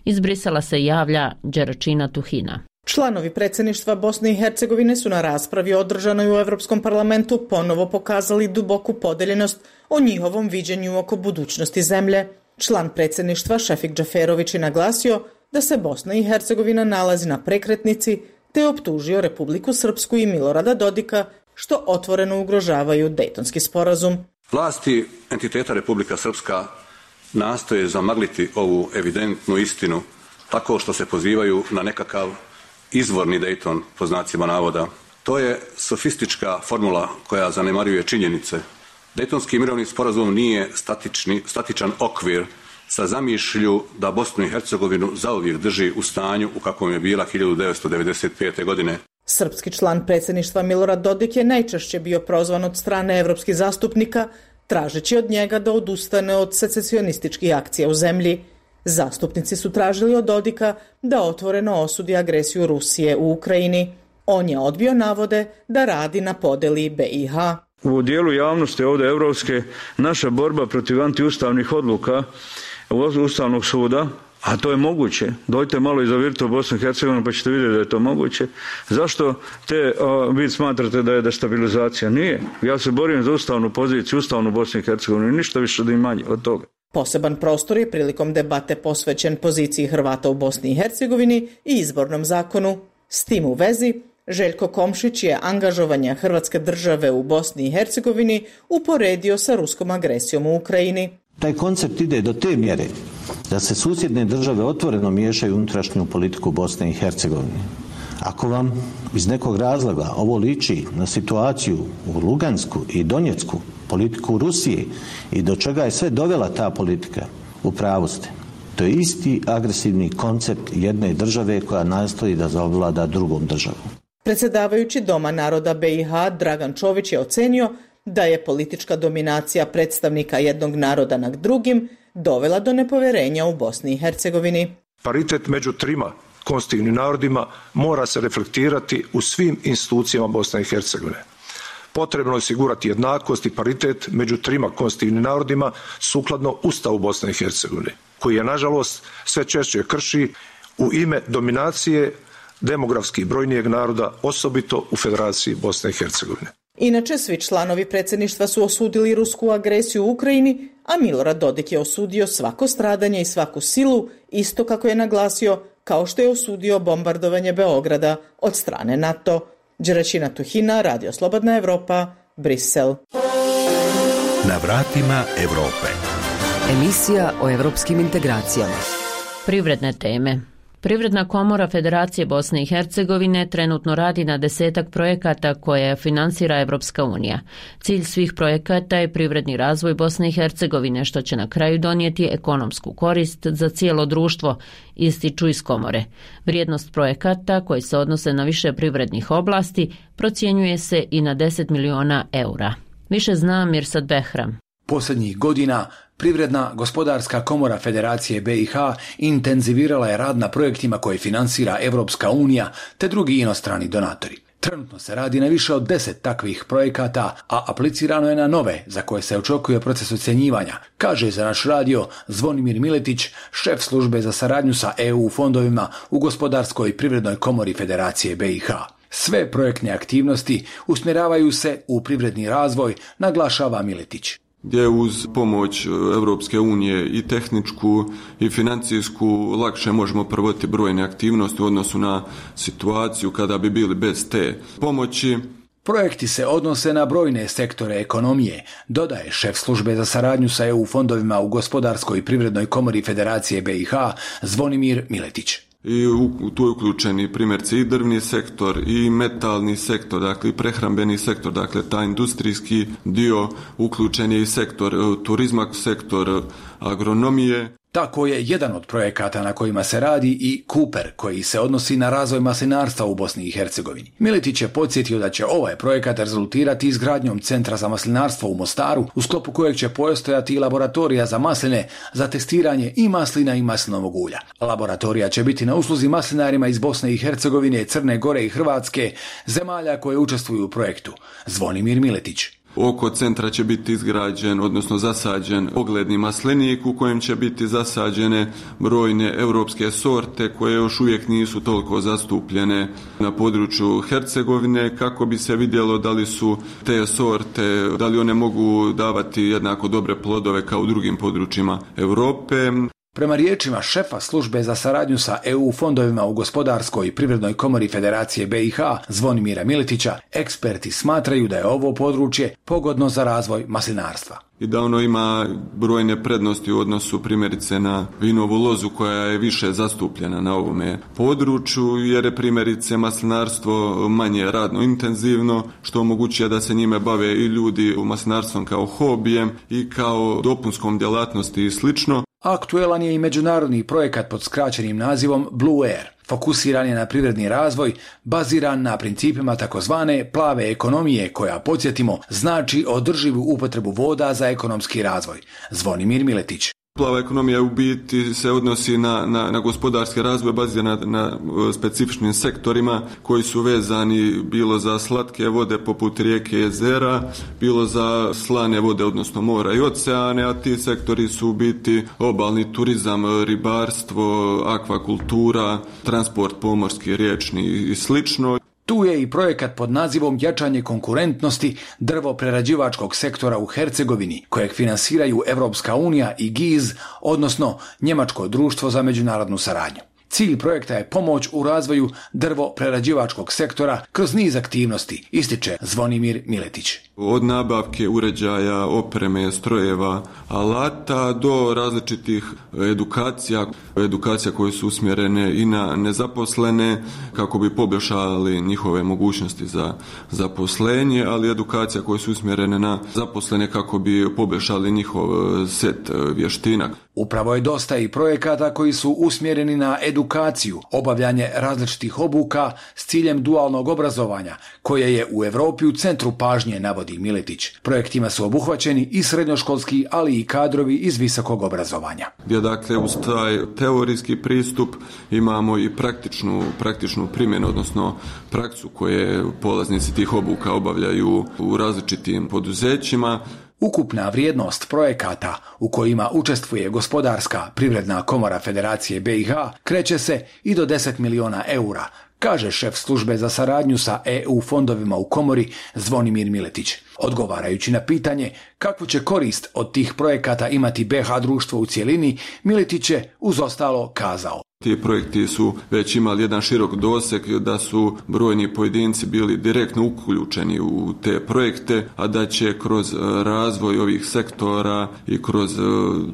Iz Brisela se javlja Đeračina Tuhina. Članovi predsjedništva Bosne i Hercegovine su na raspravi održanoj u Europskom parlamentu ponovo pokazali duboku podeljenost o njihovom viđenju oko budućnosti zemlje. Član predsjedništva Šefik Džaferović je naglasio da se Bosna i Hercegovina nalazi na prekretnici, te optužio Republiku Srpsku i Milorada Dodika što otvoreno ugrožavaju Dejtonski sporazum. Vlasti entiteta Republika Srpska nastoje zamagliti ovu evidentnu istinu tako što se pozivaju na nekakav izvorni Dejton, po znacima navoda. To je sofistička formula koja zanemaruje činjenice. Dejtonski mirovni sporazum nije statični, statičan okvir sa zamišlju da Bosnu i Hercegovinu zauvijek drži u stanju u kakvom je bila hiljadu devetsto devedeset pete. godine. Srpski član predsjedništva Milorad Dodik je najčešće bio prozvan od strane evropskih zastupnika, tražeći od njega da odustane od secesionističkih akcija u zemlji. Zastupnici su tražili od Dodika da otvoreno osudi agresiju Rusije u Ukrajini. On je odbio navode da radi na podeli B i H. U dijelu javnosti ovdje evropske naša borba protiv antiustavnih odluka Ustavnog suda, a to je moguće. Dojte malo i zavirite u Bosnu i Hercegovinu pa ćete vidjeti da je to moguće. Zašto te a, vi smatrate da je destabilizacija? Nije. Ja se borim za ustavnu poziciju, ustavnu Bosnu i Hercegovinu i ništa više da im manje od toga. Poseban prostor je prilikom debate posvećen poziciji Hrvata u Bosni i Hercegovini i izbornom zakonu. S tim u vezi, Željko Komšić je angažovanje Hrvatske države u Bosni i Hercegovini uporedio sa ruskom agresijom u Ukrajini. Taj koncept ide do te mjere da se susjedne države otvoreno miješaju u unutrašnju politiku Bosne i Hercegovine. Ako vam iz nekog razloga ovo liči na situaciju u Lugansku i Donjecku, politiku Rusije i do čega je sve dovela ta politika, u pravu ste. To je isti agresivni koncept jedne države koja nastoji da zavlada drugom državom. Predsjedavajući Doma naroda B i H Dragan Čović je ocenio da je politička dominacija predstavnika jednog naroda nad drugim dovela do nepoverenja u Bosni i Hercegovini. Paritet među trima konstitutivnim narodima mora se reflektirati u svim institucijama Bosne i Hercegovine. Potrebno je osigurati jednakost i paritet među trima konstitutivnim narodima sukladno Ustavu Bosne i Hercegovine, koji je nažalost sve češće krši u ime dominacije demografski brojnijeg naroda, osobito u Federaciji Bosne i Hercegovine. Inače, svi članovi predsjedništva su osudili rusku agresiju u Ukrajini, a Milorad Dodik je osudio svako stradanje i svaku silu, isto kako je naglasio, kao što je osudio bombardovanje Beograda od strane NATO. Đeračina Tuhina, Radio Slobodna Evropa, Brisel. Na vratima Evrope. Emisija o evropskim integracijama. Privredne teme. Privredna komora Federacije Bosne i Hercegovine trenutno radi na desetak projekata koje finansira Evropska unija. Cilj svih projekata je privredni razvoj Bosne i Hercegovine, što će na kraju donijeti ekonomsku korist za cijelo društvo, ističu iz komore. Vrijednost projekata, koji se odnose na više privrednih oblasti, procjenjuje se i na deset miliona eura. Više zna Mirsad Behram. Posljednjih godina Privredna gospodarska komora Federacije B i H intenzivirala je rad na projektima koje finansira Evropska unija te drugi inostrani donatori. Trenutno se radi na više od deset takvih projekata, a aplicirano je na nove za koje se očekuje proces ocjenjivanja, kaže za naš radio Zvonimir Miletić, šef službe za saradnju sa E U fondovima u Gospodarskoj privrednoj komori Federacije B i H. Sve projektne aktivnosti usmjeravaju se u privredni razvoj, naglašava Miletić. Gdje uz pomoć Europske unije i tehničku i financijsku lakše možemo provoditi brojne aktivnosti u odnosu na situaciju kada bi bili bez te pomoći. Projekti se odnose na brojne sektore ekonomije, dodaje šef službe za saradnju sa E U fondovima u Gospodarskoj privrednoj komori Federacije B i H Zvonimir Miletić. I u, tu je uključen i primjerci i drvni sektor i metalni sektor, dakle i prehrambeni sektor, dakle taj industrijski dio, uključen je i sektor turizma, sektor agronomije. Tako je jedan od projekata na kojima se radi i Cooper, koji se odnosi na razvoj maslinarstva u Bosni i Hercegovini. Miletić je podsjetio da će ovaj projekat rezultirati izgradnjom centra za maslinarstvo u Mostaru, u sklopu kojeg će postojati i laboratorija za masline za testiranje i maslina i maslinovog ulja. Laboratorija će biti na usluzi maslinarima iz Bosne i Hercegovine, Crne Gore i Hrvatske, zemalja koje učestvuju u projektu. Zvonimir Miletić. Oko centra će biti izgrađen, odnosno zasađen ogledni maslinik u kojem će biti zasađene brojne europske sorte koje još uvijek nisu toliko zastupljene na području Hercegovine, kako bi se vidjelo da li su te sorte, da li one mogu davati jednako dobre plodove kao u drugim područjima Europe. Prema riječima šefa službe za saradnju sa E U fondovima u gospodarskoj i privrednoj komori Federacije B i H Zvonimira Miletića, eksperti smatraju da je ovo područje pogodno za razvoj maslinarstva. I da ono ima brojne prednosti u odnosu primjerice na vinovu lozu koja je više zastupljena na ovome području, jer je primjerice maslinarstvo manje radno intenzivno, što omogućuje da se njime bave i ljudi u maslinarstvom kao hobijem i kao dopunskom djelatnosti i slično. Aktuelan je i međunarodni projekat pod skraćenim nazivom Blue Air. Fokusiran je na privredni razvoj, baziran na principima takozvane plave ekonomije, koja, podsjetimo, znači održivu upotrebu voda za ekonomski razvoj. Zvonimir Miletić. Plava ekonomija u biti se odnosi na, na, na gospodarski razvoj baziran na, na specifičnim sektorima koji su vezani bilo za slatke vode poput rijeke i jezera, bilo za slane vode, odnosno mora i oceane, a ti sektori su u biti obalni turizam, ribarstvo, akvakultura, transport pomorski, riječni i slično. Tu je i projekat pod nazivom Jačanje konkurentnosti drvoprerađivačkog sektora u Hercegovini, kojeg finansiraju Evropska unija i G I Z, odnosno Njemačko društvo za međunarodnu saradnju. Cilj projekta je pomoć u razvoju drvoprerađivačkog sektora kroz niz aktivnosti, ističe Zvonimir Miletić. Od nabavke uređaja, opreme, strojeva, alata do različitih edukacija, edukacija koje su usmjerene i na nezaposlene kako bi poboljšali njihove mogućnosti za zaposlenje, ali edukacija koje su usmjerene na zaposlene kako bi poboljšali njihov set vještina. Upravo je dosta i projekata koji su usmjereni na edukaciju, obavljanje različitih obuka s ciljem dualnog obrazovanja, koje je u Europi u centru pažnje, navodi Miletić. Projektima su obuhvaćeni i srednjoškolski, ali i kadrovi iz visokog obrazovanja. Gdje dakle uz taj teorijski pristup imamo i praktičnu, praktičnu primjenu, odnosno praksu koje polaznici tih obuka obavljaju u različitim poduzećima. Ukupna vrijednost projekata u kojima učestvuje Gospodarska privredna komora Federacije B i H kreće se i do deset miliona eura, kaže šef službe za saradnju sa E U fondovima u komori Zvonimir Miletić. Odgovarajući na pitanje kakvu će korist od tih projekata imati B H društvo u cjelini, Miletić je uz ostalo kazao. Ti projekti su već imali jedan širok doseg, da su brojni pojedinci bili direktno uključeni u te projekte, a da će kroz razvoj ovih sektora i kroz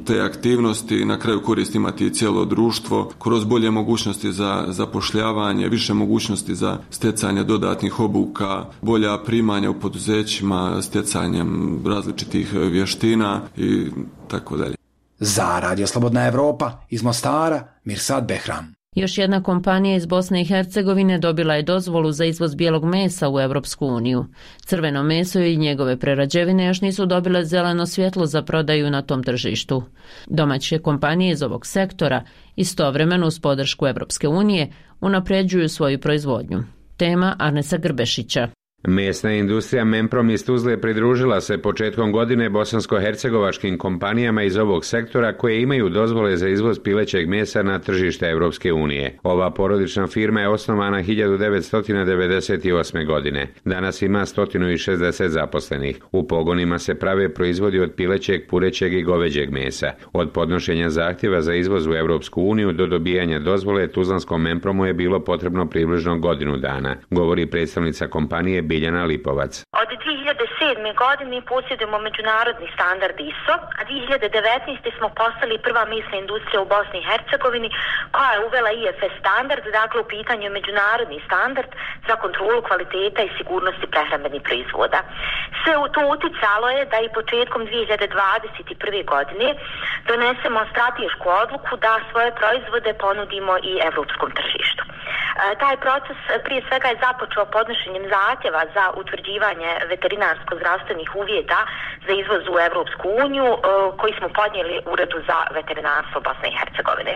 te aktivnosti na kraju korist imati i cijelo društvo, kroz bolje mogućnosti za zapošljavanje, više mogućnosti za stjecanje dodatnih obuka, bolja primanja u poduzećima, stjecanjem različitih vještina i tako dalje. Za Radio Slobodna Evropa iz Mostara, Mirsad Behram. Još jedna kompanija iz Bosne i Hercegovine dobila je dozvolu za izvoz bijelog mesa u Europsku uniju. Crveno meso i njegove prerađevine još nisu dobile zeleno svjetlo za prodaju na tom tržištu. Domaće kompanije iz ovog sektora istovremeno uz podršku Europske unije unapređuju svoju proizvodnju. Tema Arnesa Grbešića. Mesna industrija Memprom iz Tuzle pridružila se početkom godine bosansko-hercegovačkim kompanijama iz ovog sektora koje imaju dozvole za izvoz pilećeg mesa na tržište Europske unije. Ova porodična firma je osnovana hiljadu devetsto devedeset osme. godine. Danas ima sto šezdeset zaposlenih. U pogonima se prave proizvodi od pilećeg, purećeg i goveđeg mesa. Od podnošenja zahtjeva za izvoz u Europsku uniju do dobijanja dozvole Tuzlanskom Mempromu je bilo potrebno približno godinu dana, govori predstavnica kompanije Biljana Lipovac. Od dvije hiljade sedme. godine posjedujemo međunarodni standard I S O, a dvije hiljade devetnaeste. smo postali prva mesna industrija u Bosni i Hercegovini koja je uvela I F S standard, dakle u pitanju međunarodni standard za kontrolu kvaliteta i sigurnosti prehrambenih proizvoda. Sve to uticalo je da i početkom dvije hiljade dvadeset prve. godine donesemo stratešku odluku da svoje proizvode ponudimo i evropskom tržištu. Taj proces prije svega je započeo podnošenjem zahtjeva za utvrđivanje veterinarsko-zdravstvenih uvjeta za izvoz u Europsku uniju koji smo podnijeli Uredu za veterinarstvo Bosne i Hercegovine.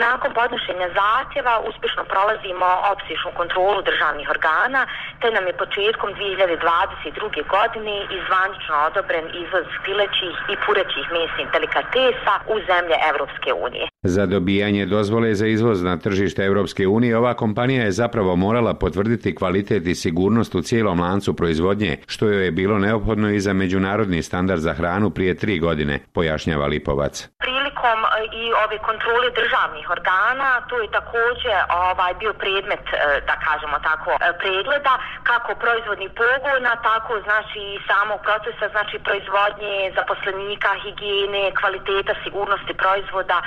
Nakon podnošenja zahtjeva uspješno prolazimo opsežnu kontrolu državnih organa, te nam je početkom dvije hiljade dvadeset druge. godine izvanično odobren izvoz pilećih i purećih mesnih delikatesa u zemlje Europske unije. Za dobijanje dozvole za izvoz na tržište Europske unije ova kompanija je zapravo morala potvrditi kvalitet i sigurnost u cijelom lancu proizvodnje, što joj je bilo neophodno i za međunarodni standard za hranu prije tri godine, pojašnjava Lipovac. Prilikom i ove kontrole državnih organa, to je također ovaj bio predmet, da kažemo tako, pregleda kako proizvodnih pogona, tako znači i samog procesa, znači proizvodnje, zaposlenika, higijene, kvaliteta, sigurnosti proizvoda,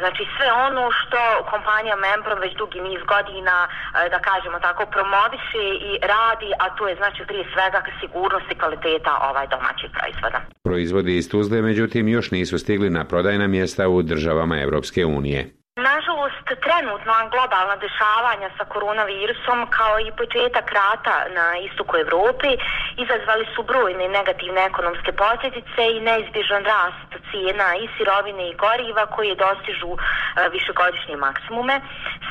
znači sve ono što kompanija Memprom već dugi niz godina, da kažemo tako, promoviše i radi, a to je znači prije svega sigurnost i kvaliteta ovaj domaćih proizvoda. Proizvodi iz Tuzle, međutim, još nisu stigli na prodajna mjesta u državama Europske unije. Nažalost, trenutno globalna dešavanja sa koronavirusom kao i početak rata na istoku Evrope izazvali su brojne negativne ekonomske posljedice i neizbježan rast cijena i sirovine i goriva koje dostižu e, višegodišnje maksimume.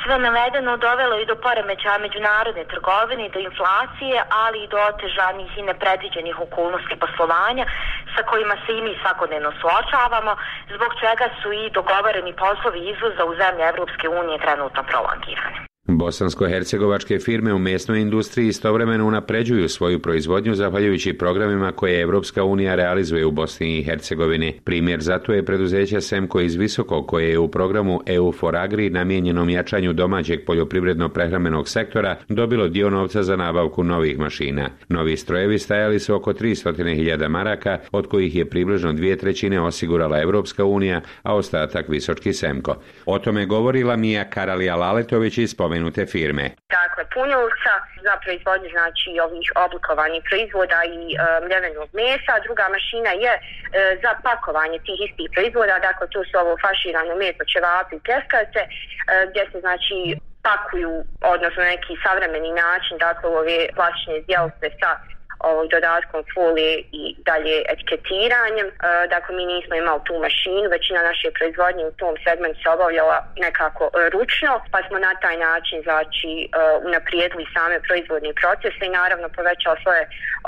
Sve navedeno dovelo i do poremećaja međunarodne trgovine, do inflacije, ali i do otežanih i nepredviđenih okolnosti poslovanja sa kojima se i mi svakodnevno suočavamo, zbog čega su i dogovoreni poslovi izvoza u zemlje Evropske unije trenutno prolongirane. Bosansko-hercegovačke firme u mesnoj industriji istovremeno unapređuju svoju proizvodnju zahvaljujući programima koje Evropska unija realizuje u Bosni i Hercegovini. Primjer zato je preduzeće Semko iz Visokog, koje je u programu E U for Agri namijenjenom jačanju domaćeg poljoprivredno-prehrambenog sektora dobilo dio novca za nabavku novih mašina. Novi strojevi stajali su oko tristo hiljada maraka, od kojih je približno dvije trećine osigurala Evropska unija, a ostatak Visočki Semko. O tome govorila Mija Karalija Laletović iz spomenute firme. Dakle, punjulca za proizvodnju znači ovih oblikovanih proizvoda i e, mljevenog mesa. Druga mašina je e, za pakovanje tih istih proizvoda, dakle tu su ovo faširano meso, ćevapi i pljeskavice, e, gdje se znači pakuju, odnosno neki savremeni način, dakle ove plastične zdjelce sa ovog dodatkom folije i dalje etiketiranjem. E, dakle, mi nismo imali tu mašinu, većina naše proizvodnje u tom segmentu se obavljala nekako e, ručno, pa smo na taj način znači e, unaprijedili same proizvodne procese i naravno povećali svoje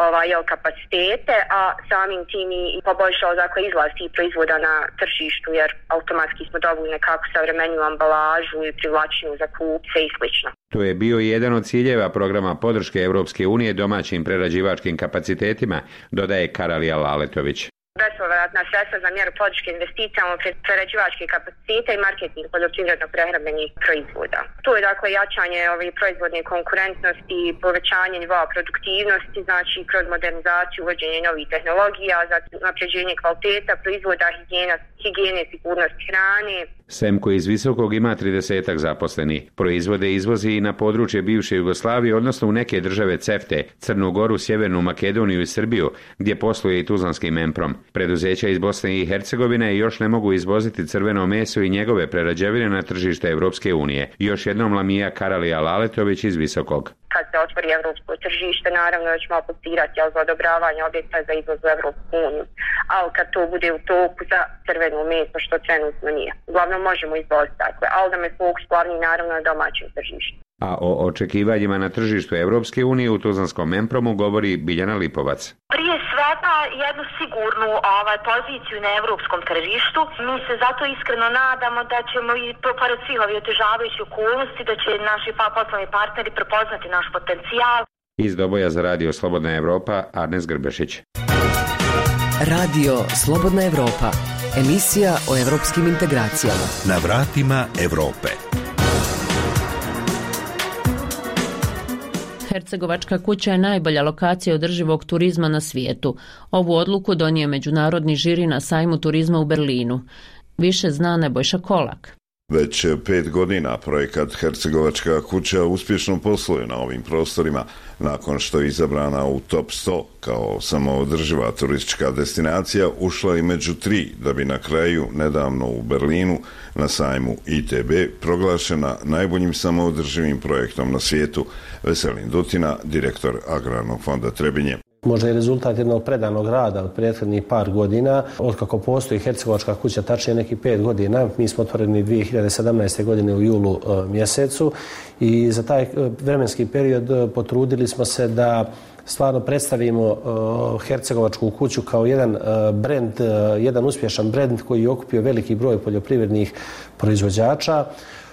ovaj, jel, kapacitete, a samim tim i poboljšao dakle, izlaz tih proizvoda na tržištu, jer automatski smo dobili nekako savremeniju ambalažu i privlačenju za kupce i slično. To je bio jedan od ciljeva programa podrške Europske unije domaćim prerađivačkim kapacitetima, dodaje Karalija Laletović. Bespovratna sredstva za mjeru podrške investicijama u prerađivačke kapacitete i marketing poljoprivredno-prehrambenih proizvoda. Tu je dakle jačanje ove proizvodne konkurentnosti, povećanje nivoa produktivnosti, znači kroz modernizaciju, uvođenje novih tehnologija, zatim unapređenje kvaliteta proizvoda, higijena, higijene, sigurnost hrane. Semko iz Visokog ima tridesetak zaposlenih. Proizvode izvozi i na područje bivše Jugoslavije, odnosno u neke države CEFTE, Crnu Goru, Sjevernu Makedoniju i Srbiju, gdje posluje i tuzlanski Memprom. Preduzeća iz Bosne i Hercegovine još ne mogu izvoziti crveno meso i njegove prerađevine na tržište Evropske unije. Još jednom Lamija Karalija Laletović iz Visokog. Kad se otvori evropsko tržište, naravno da ćemo aplicirati za odobravanje objekta za izvoz u Evropsku uniju. Ali kad to bude u toku za crveno meso, što trenutno nije. Uglavnom možemo izvoziti takve, ali da me fokus glavni naravno na domaćem tržištu. A o očekivanjima na tržištu Evropske unije u tuzlanskom Mempromu govori Biljana Lipovac. Prije svega jednu sigurnu ovaj, poziciju na evropskom tržištu. Mi se zato iskreno nadamo da ćemo i pored svih ovih otežavajućih okolnosti, da će naši pa poslovni partneri prepoznati naš potencijal. Iz Doboja za Radio Slobodna Evropa, Arnes Grbešić. Radio Slobodna Evropa, emisija o evropskim integracijama. Na vratima Evrope. Hercegovačka kuća je najbolja lokacija održivog turizma na svijetu. Ovu odluku donio međunarodni žiri na sajmu turizma u Berlinu. Više zna Nebojša Kolak. Već pet godina projekat Hercegovačka kuća uspješno posluje na ovim prostorima, nakon što je izabrana u top sto kao samoodrživa turistička destinacija, ušla i među tri, da bi na kraju nedavno u Berlinu na sajmu I T B proglašena najboljim samoodrživim projektom na svijetu. Veselin Dutina, direktor Agrarnog fonda Trebinje. Možda je rezultat jednog predanog rada od prethodnih par godina. Otkako postoji Hercegovačka kuća, tačnije neki pet godina, mi smo otvoreni dvije hiljade sedamnaeste. godine u julu mjesecu i za taj vremenski period potrudili smo se da stvarno predstavimo Hercegovačku kuću kao jedan brend, jedan uspješan brend koji je okupio veliki broj poljoprivrednih proizvođača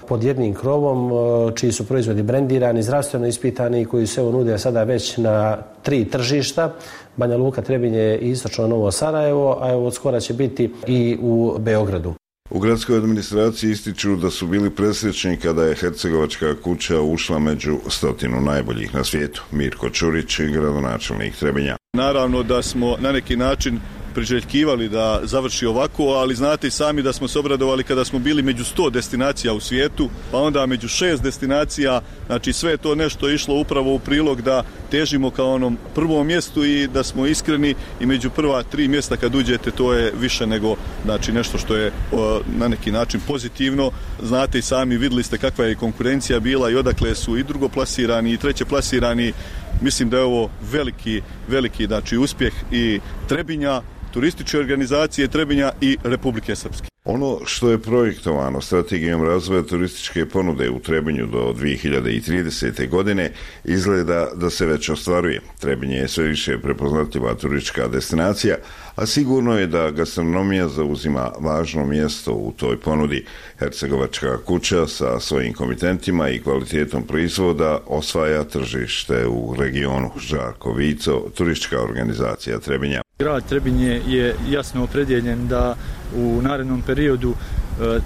pod jednim krovom, čiji su proizvodi brendirani, zdravstveno ispitani i koji se evo nude sada već na tri tržišta, Banja Luka, Trebinje i istočno Novo Sarajevo, a evo od skora će biti i u Beogradu. U gradskoj administraciji ističu da su bili presrećni kada je Hercegovačka kuća ušla među stotinu najboljih na svijetu. Mirko Čurić, gradonačelnik Trebinja. Naravno da smo na neki način priželjkivali da završi ovako, ali znate i sami da smo se obradovali kada smo bili među sto destinacija u svijetu, pa onda među šest destinacija, znači sve je to nešto išlo upravo u prilog da težimo kao onom prvom mjestu i da smo iskreni i među prva tri mjesta kad uđete to je više nego znači nešto što je o, na neki način pozitivno. Znate i sami, vidjeli ste kakva je konkurencija bila i odakle su i drugoplasirani i treće plasirani. Mislim da je ovo veliki, veliki znači, uspjeh i Trebinja, turističke organizacije Trebinja i Republike Srpske. Ono što je projektovano strategijom razvoja turističke ponude u Trebinju do dvije hiljade tridesete. godine izgleda da se već ostvaruje. Trebinje je sve više prepoznatljiva turistička destinacija, a sigurno je da gastronomija zauzima važno mjesto u toj ponudi. Hercegovačka kuća sa svojim komitentima i kvalitetom proizvoda osvaja tržište u regionu. Žarko Vico, turistička organizacija Trebinja. Grad Trebinje je jasno opredjeljen da u narednom periodu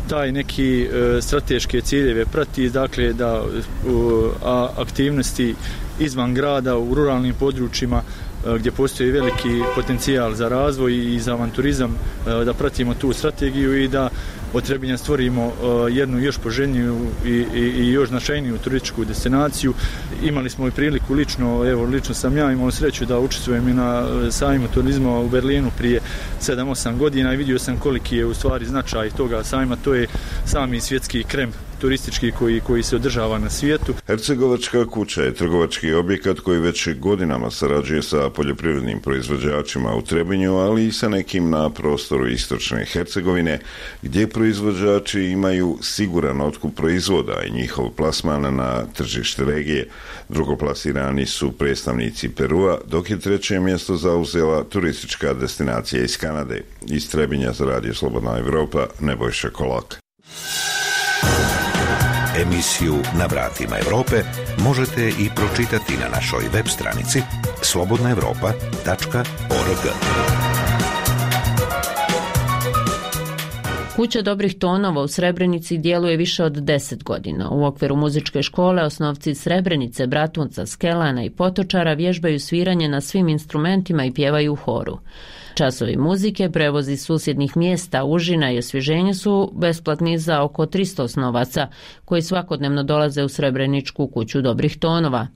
taj neki strateške ciljeve prati, dakle da aktivnosti izvan grada u ruralnim područjima gdje postoji veliki potencijal za razvoj i za avanturizam, da pratimo tu strategiju i da od Trebinja stvorimo jednu još poželjniju i, i, i još značajniju turističku destinaciju. Imali smo i priliku lično, evo lično sam ja imao sreću da učestvujem i na sajmu turizma u Berlinu prije sedam osam godina i vidio sam koliki je u stvari značaj toga sajma. To je sami svjetski krem turistički koji, koji se održava na svijetu. Hercegovačka kuća je trgovački objekat koji već godinama sarađuje sa poljoprivrednim proizvođačima u Trebinju, ali i sa nekim na prostoru istočne Hercegovine, gdje proizvođači imaju siguran otkup proizvoda i njihov plasman na tržište regije. Drugoplasirani su predstavnici Perua, dok je treće mjesto zauzela turistička destinacija iz Kanade. Iz Trebinja za Radio Slobodna Evropa, Nebojša Kolak. Emisiju Na vratima Evrope možete i pročitati na našoj web stranici slobodna evropa tačka org. Kuća dobrih tonova u Srebrenici djeluje više od deset godina. U okviru muzičke škole osnovci Srebrenice, Bratunca, Skelana i Potočara vježbaju sviranje na svim instrumentima i pjevaju u horu. Časovi muzike, prevozi susjednih mjesta, užina i osvježenje su besplatni za oko tristo osnovaca koji svakodnevno dolaze u Srebreničku kuću dobrih tonova.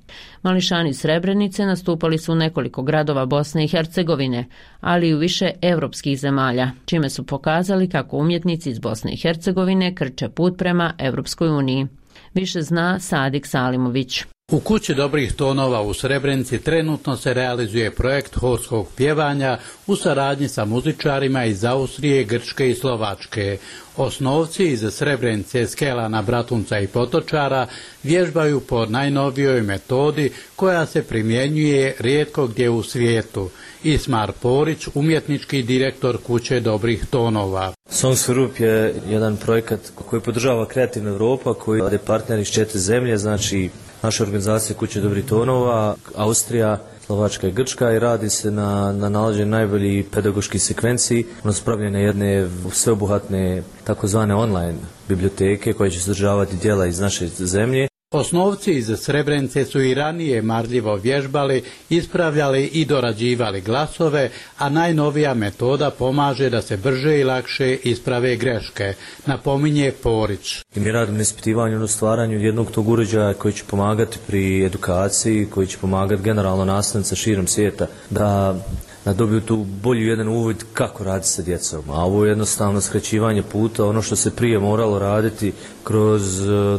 Mališani Srebrenice nastupali su u nekoliko gradova Bosne i Hercegovine, ali i u više evropskih zemalja, čime su pokazali kako umjetnici iz Bosne i Hercegovine krče put prema Evropskoj uniji. Više zna Sadik Salimović. U kući dobrih tonova u Srebrenici trenutno se realizuje projekt horskog pjevanja u saradnji sa muzičarima iz Austrije, Grčke i Slovačke. Osnovci iz Srebrenice, Skelana, Bratunca i Potočara vježbaju po najnovijoj metodi koja se primjenjuje rijetko gdje u svijetu. Ismar Porić, umjetnički direktor kuće dobrih tonova. Songs for Europe je jedan projekat koji podržava Kreativna Europa, koji je partner iz četiri zemlje, znači naša organizacija kuće dobrih tonova, Austrija, Slovačka i Grčka, i radi se na, na nalaženju najboljih pedagoških sekvenciji, ono spravljene jedne sveobuhvatne takozvane online biblioteke koje će sadržavati djela iz naše zemlje. Osnovci iz Srebrenice su i ranije marljivo vježbali, ispravljali i dorađivali glasove, a najnovija metoda pomaže da se brže i lakše isprave greške, napominje Porić. I mi radimo na ispitivanju, na stvaranju jednog tog uređaja koji će pomagati pri edukaciji, koji će pomagati generalno nastavnicima širom svijeta da da dobiju tu bolji jedan uvid kako raditi sa djecom. A ovo je jednostavno skraćivanje puta, ono što se prije moralo raditi kroz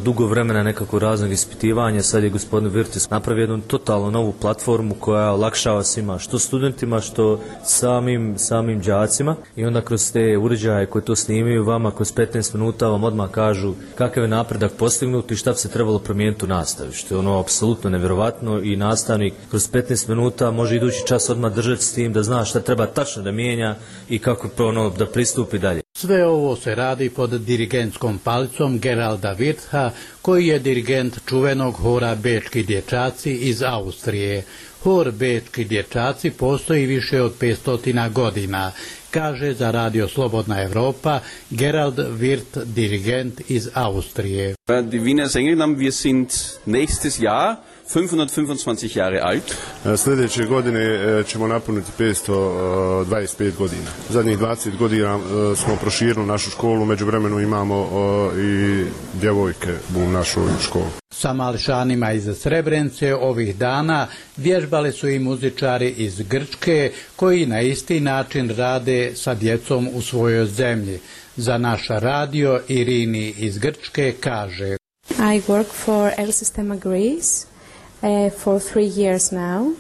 dugo vremena nekako raznog ispitivanja, sad je gospodin Virtis napravio jednu totalno novu platformu koja olakšava svima, što studentima, što samim, samim đacima, i onda kroz te uređaje koje to snimaju vama kroz petnaest minuta vam odmah kažu kakav je napredak postignut i šta bi se trebalo promijeniti u nastavi, što je ono apsolutno nevjerovatno, i nastavnik kroz petnaest minuta može idući čas odmah držati s tim da zna šta treba tačno da mijenja i kako ono, da pristupi dalje. Sve ovo se radi pod dirigentskom palicom Geralda Wirtha, koji je dirigent čuvenog hora Bečki dječaci iz Austrije. Hor Bečki dječaci postoji više od petsto godina, kaže za Radio Slobodna Evropa Gerald Wirth, dirigent iz Austrije. Die Wiener Sängerinnen, wir sind nächstes Jahr fünfhundertfünfundzwanzig Jahre alt. Sljedeće godine ćemo napuniti petsto dvadeset pet godina. Zadnjih dvadeset godina smo proširili našu školu, međuvremenu imamo i djevojke u našoj školi. Sa mališanima iz Srebrenice ovih dana vježbali su i muzičari iz Grčke, koji na isti način rade sa djecom u svojoj zemlji. Za naš radio Irini iz Grčke kaže: I work for El Sistema Greece uh, for three years now.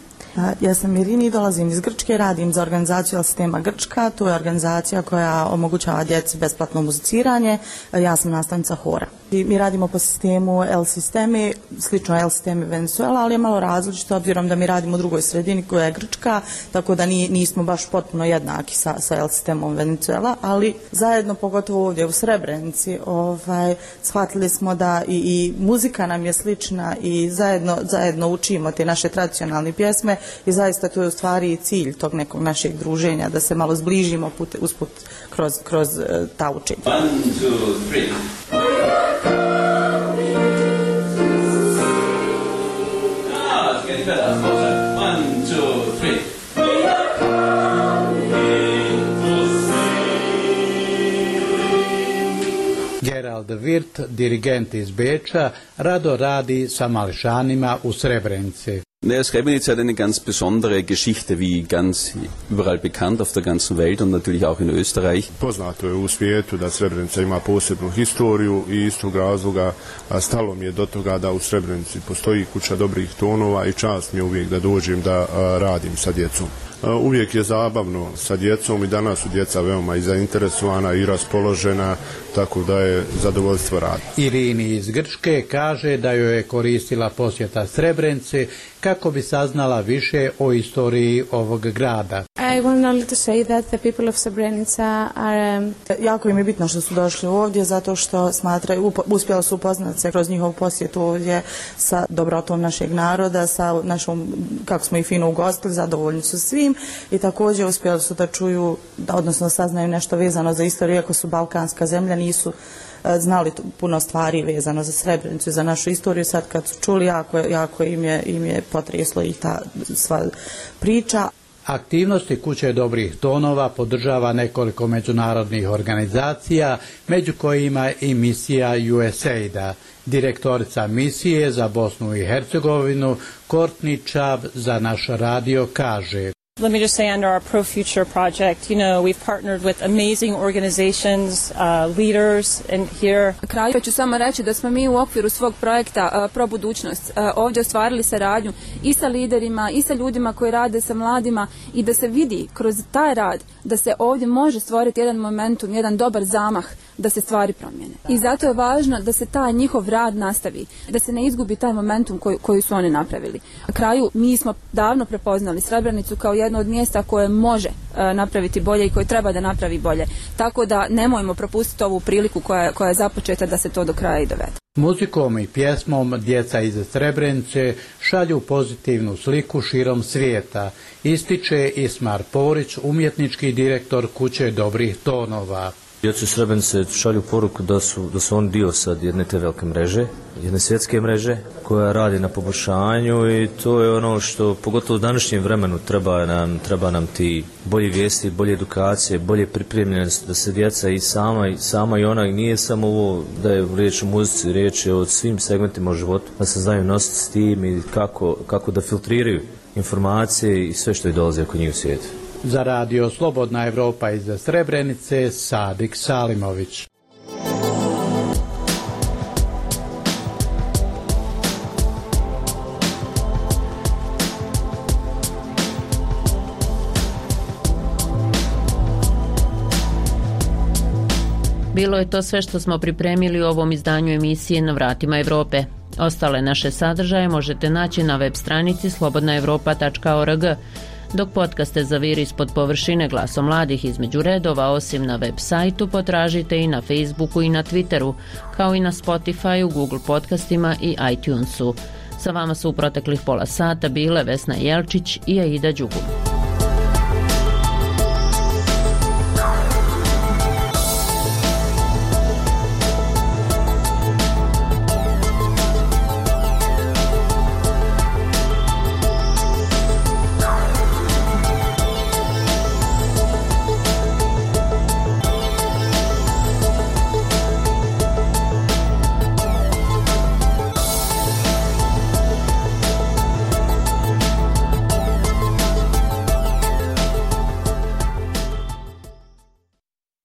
Ja sam Irini, dolazim iz Grčke, radim za organizaciju El Sistema Grčka. To je organizacija koja omogućava djeci besplatno muziciranje. Ja sam nastavnica hora. I mi radimo po sistemu El Sistemi, slično El Sistemi Venezuela, ali je malo različito obzirom da mi radimo u drugoj sredini koja je Grčka, tako da ni, nismo baš potpuno jednaki sa, sa El Sistemom Venezuela, ali zajedno, pogotovo ovdje u Srebrenici, ovaj, shvatili smo da i, i muzika nam je slična i zajedno, zajedno učimo te naše tradicionalne pjesme i zaista to je u stvari cilj tog nekog našeg druženja, da se malo zbližimo put, usput kroz, kroz uh, ta učenja. One, two, three. One, two, three. Gerald Wirth, dirigent iz Beča, rado radi sa mališanima u Srebrenici. Naja, Srebrenica hat eine ganz besondere Geschichte, wie ganz überall bekannt auf der ganzen Welt und natürlich auch in Österreich. Poznato je u svijetu da Srebrenica ima posebnu historiju i iz tog razloga stalo mi je do toga da u Srebrenici postoji kuća dobrih tonova i čast mi je uvijek da dođem da radim sa djecom. Uvijek je zabavno sa djecom i danas su djeca veoma i zainteresovana i raspoložena, tako da je zadovoljstvo raditi. Irini iz Grčke kaže da joj je koristila posjeta Srebrenici kako bi saznala više o istoriji ovog grada. I want only to say that the people of Srebrenica are... Um... Jako im je bitno što su došli ovdje, zato što smatraju, uspjeli su upoznati se kroz njihov posjet ovdje sa dobrotom našeg naroda, sa našom, kako smo i fino ugostili, zadovoljni su svim, i također uspjeli su da čuju, odnosno saznaju nešto vezano za istoriju, iako su balkanska zemlja, nisu znali puno stvari vezano za Srebrenicu i za našu istoriju. Sad kad su čuli, jako, jako im je, im je potreslo i ta sva priča. Aktivnosti Kuće dobrih tonova podržava nekoliko međunarodnih organizacija, među kojima i misija U S A I D-a. Direktorica misije za Bosnu i Hercegovinu Courtney Chubb za naš radio kaže: Let me just say, under our Pro Future project, you know, we've partnered with amazing organizations, uh, leaders, and here... Na kraju ću samo reći da smo mi u okviru svog projekta uh, Pro Budućnost uh, ovdje ostvarili saradnju i sa liderima i sa ljudima koji rade sa mladima, i da se vidi kroz taj rad da se ovdje može stvoriti jedan momentum, jedan dobar zamah da se stvari promijene. I zato je važno da se taj njihov rad nastavi, da se ne izgubi taj momentum koji, koji su oni napravili. Na kraju mi smo davno prepoznali Srebrenicu kao jedno od mjesta koje može uh, napraviti bolje i koje treba da napravi bolje. Tako da nemojmo propustiti ovu priliku koja, koja je započeta da se to do kraja i dovede. Muzikom i pjesmom djeca iz Srebrenice šalju pozitivnu sliku širom svijeta, ističe Ismar Porić, umjetnički direktor Kuće dobrih tonova. Djecu Srebrenice šalju poruku da su, da su oni dio sad jedne te velike mreže, jedne svjetske mreže koja radi na poboljšanju i to je ono što pogotovo u današnjem vremenu treba nam, treba nam ti bolji vijesti, bolje edukacije, bolje pripremljenost da se djeca i sama i, sama i ona i nije samo ovo da je riječ o muzici, riječ je o svim segmentima u životu, da se znaju nositi s tim i kako, kako da filtriraju informacije i sve što je dolazi oko njih u svijetu. Za radio Slobodna Evropa iz Srebrenice, Sadik Salimović. Bilo je to sve što smo pripremili u ovom izdanju emisije Na vratima Evrope. Ostale naše sadržaje možete naći na web stranici slobodna evropa tačka org. Dok podcaste zaviri ispod površine Glasom mladih između redova, osim na web sajtu, potražite i na Facebooku i na Twitteru, kao i na Spotifyu, Google podcastima i iTunesu. Sa vama su u proteklih pola sata bile Vesna Jelčić i Aida Đugum.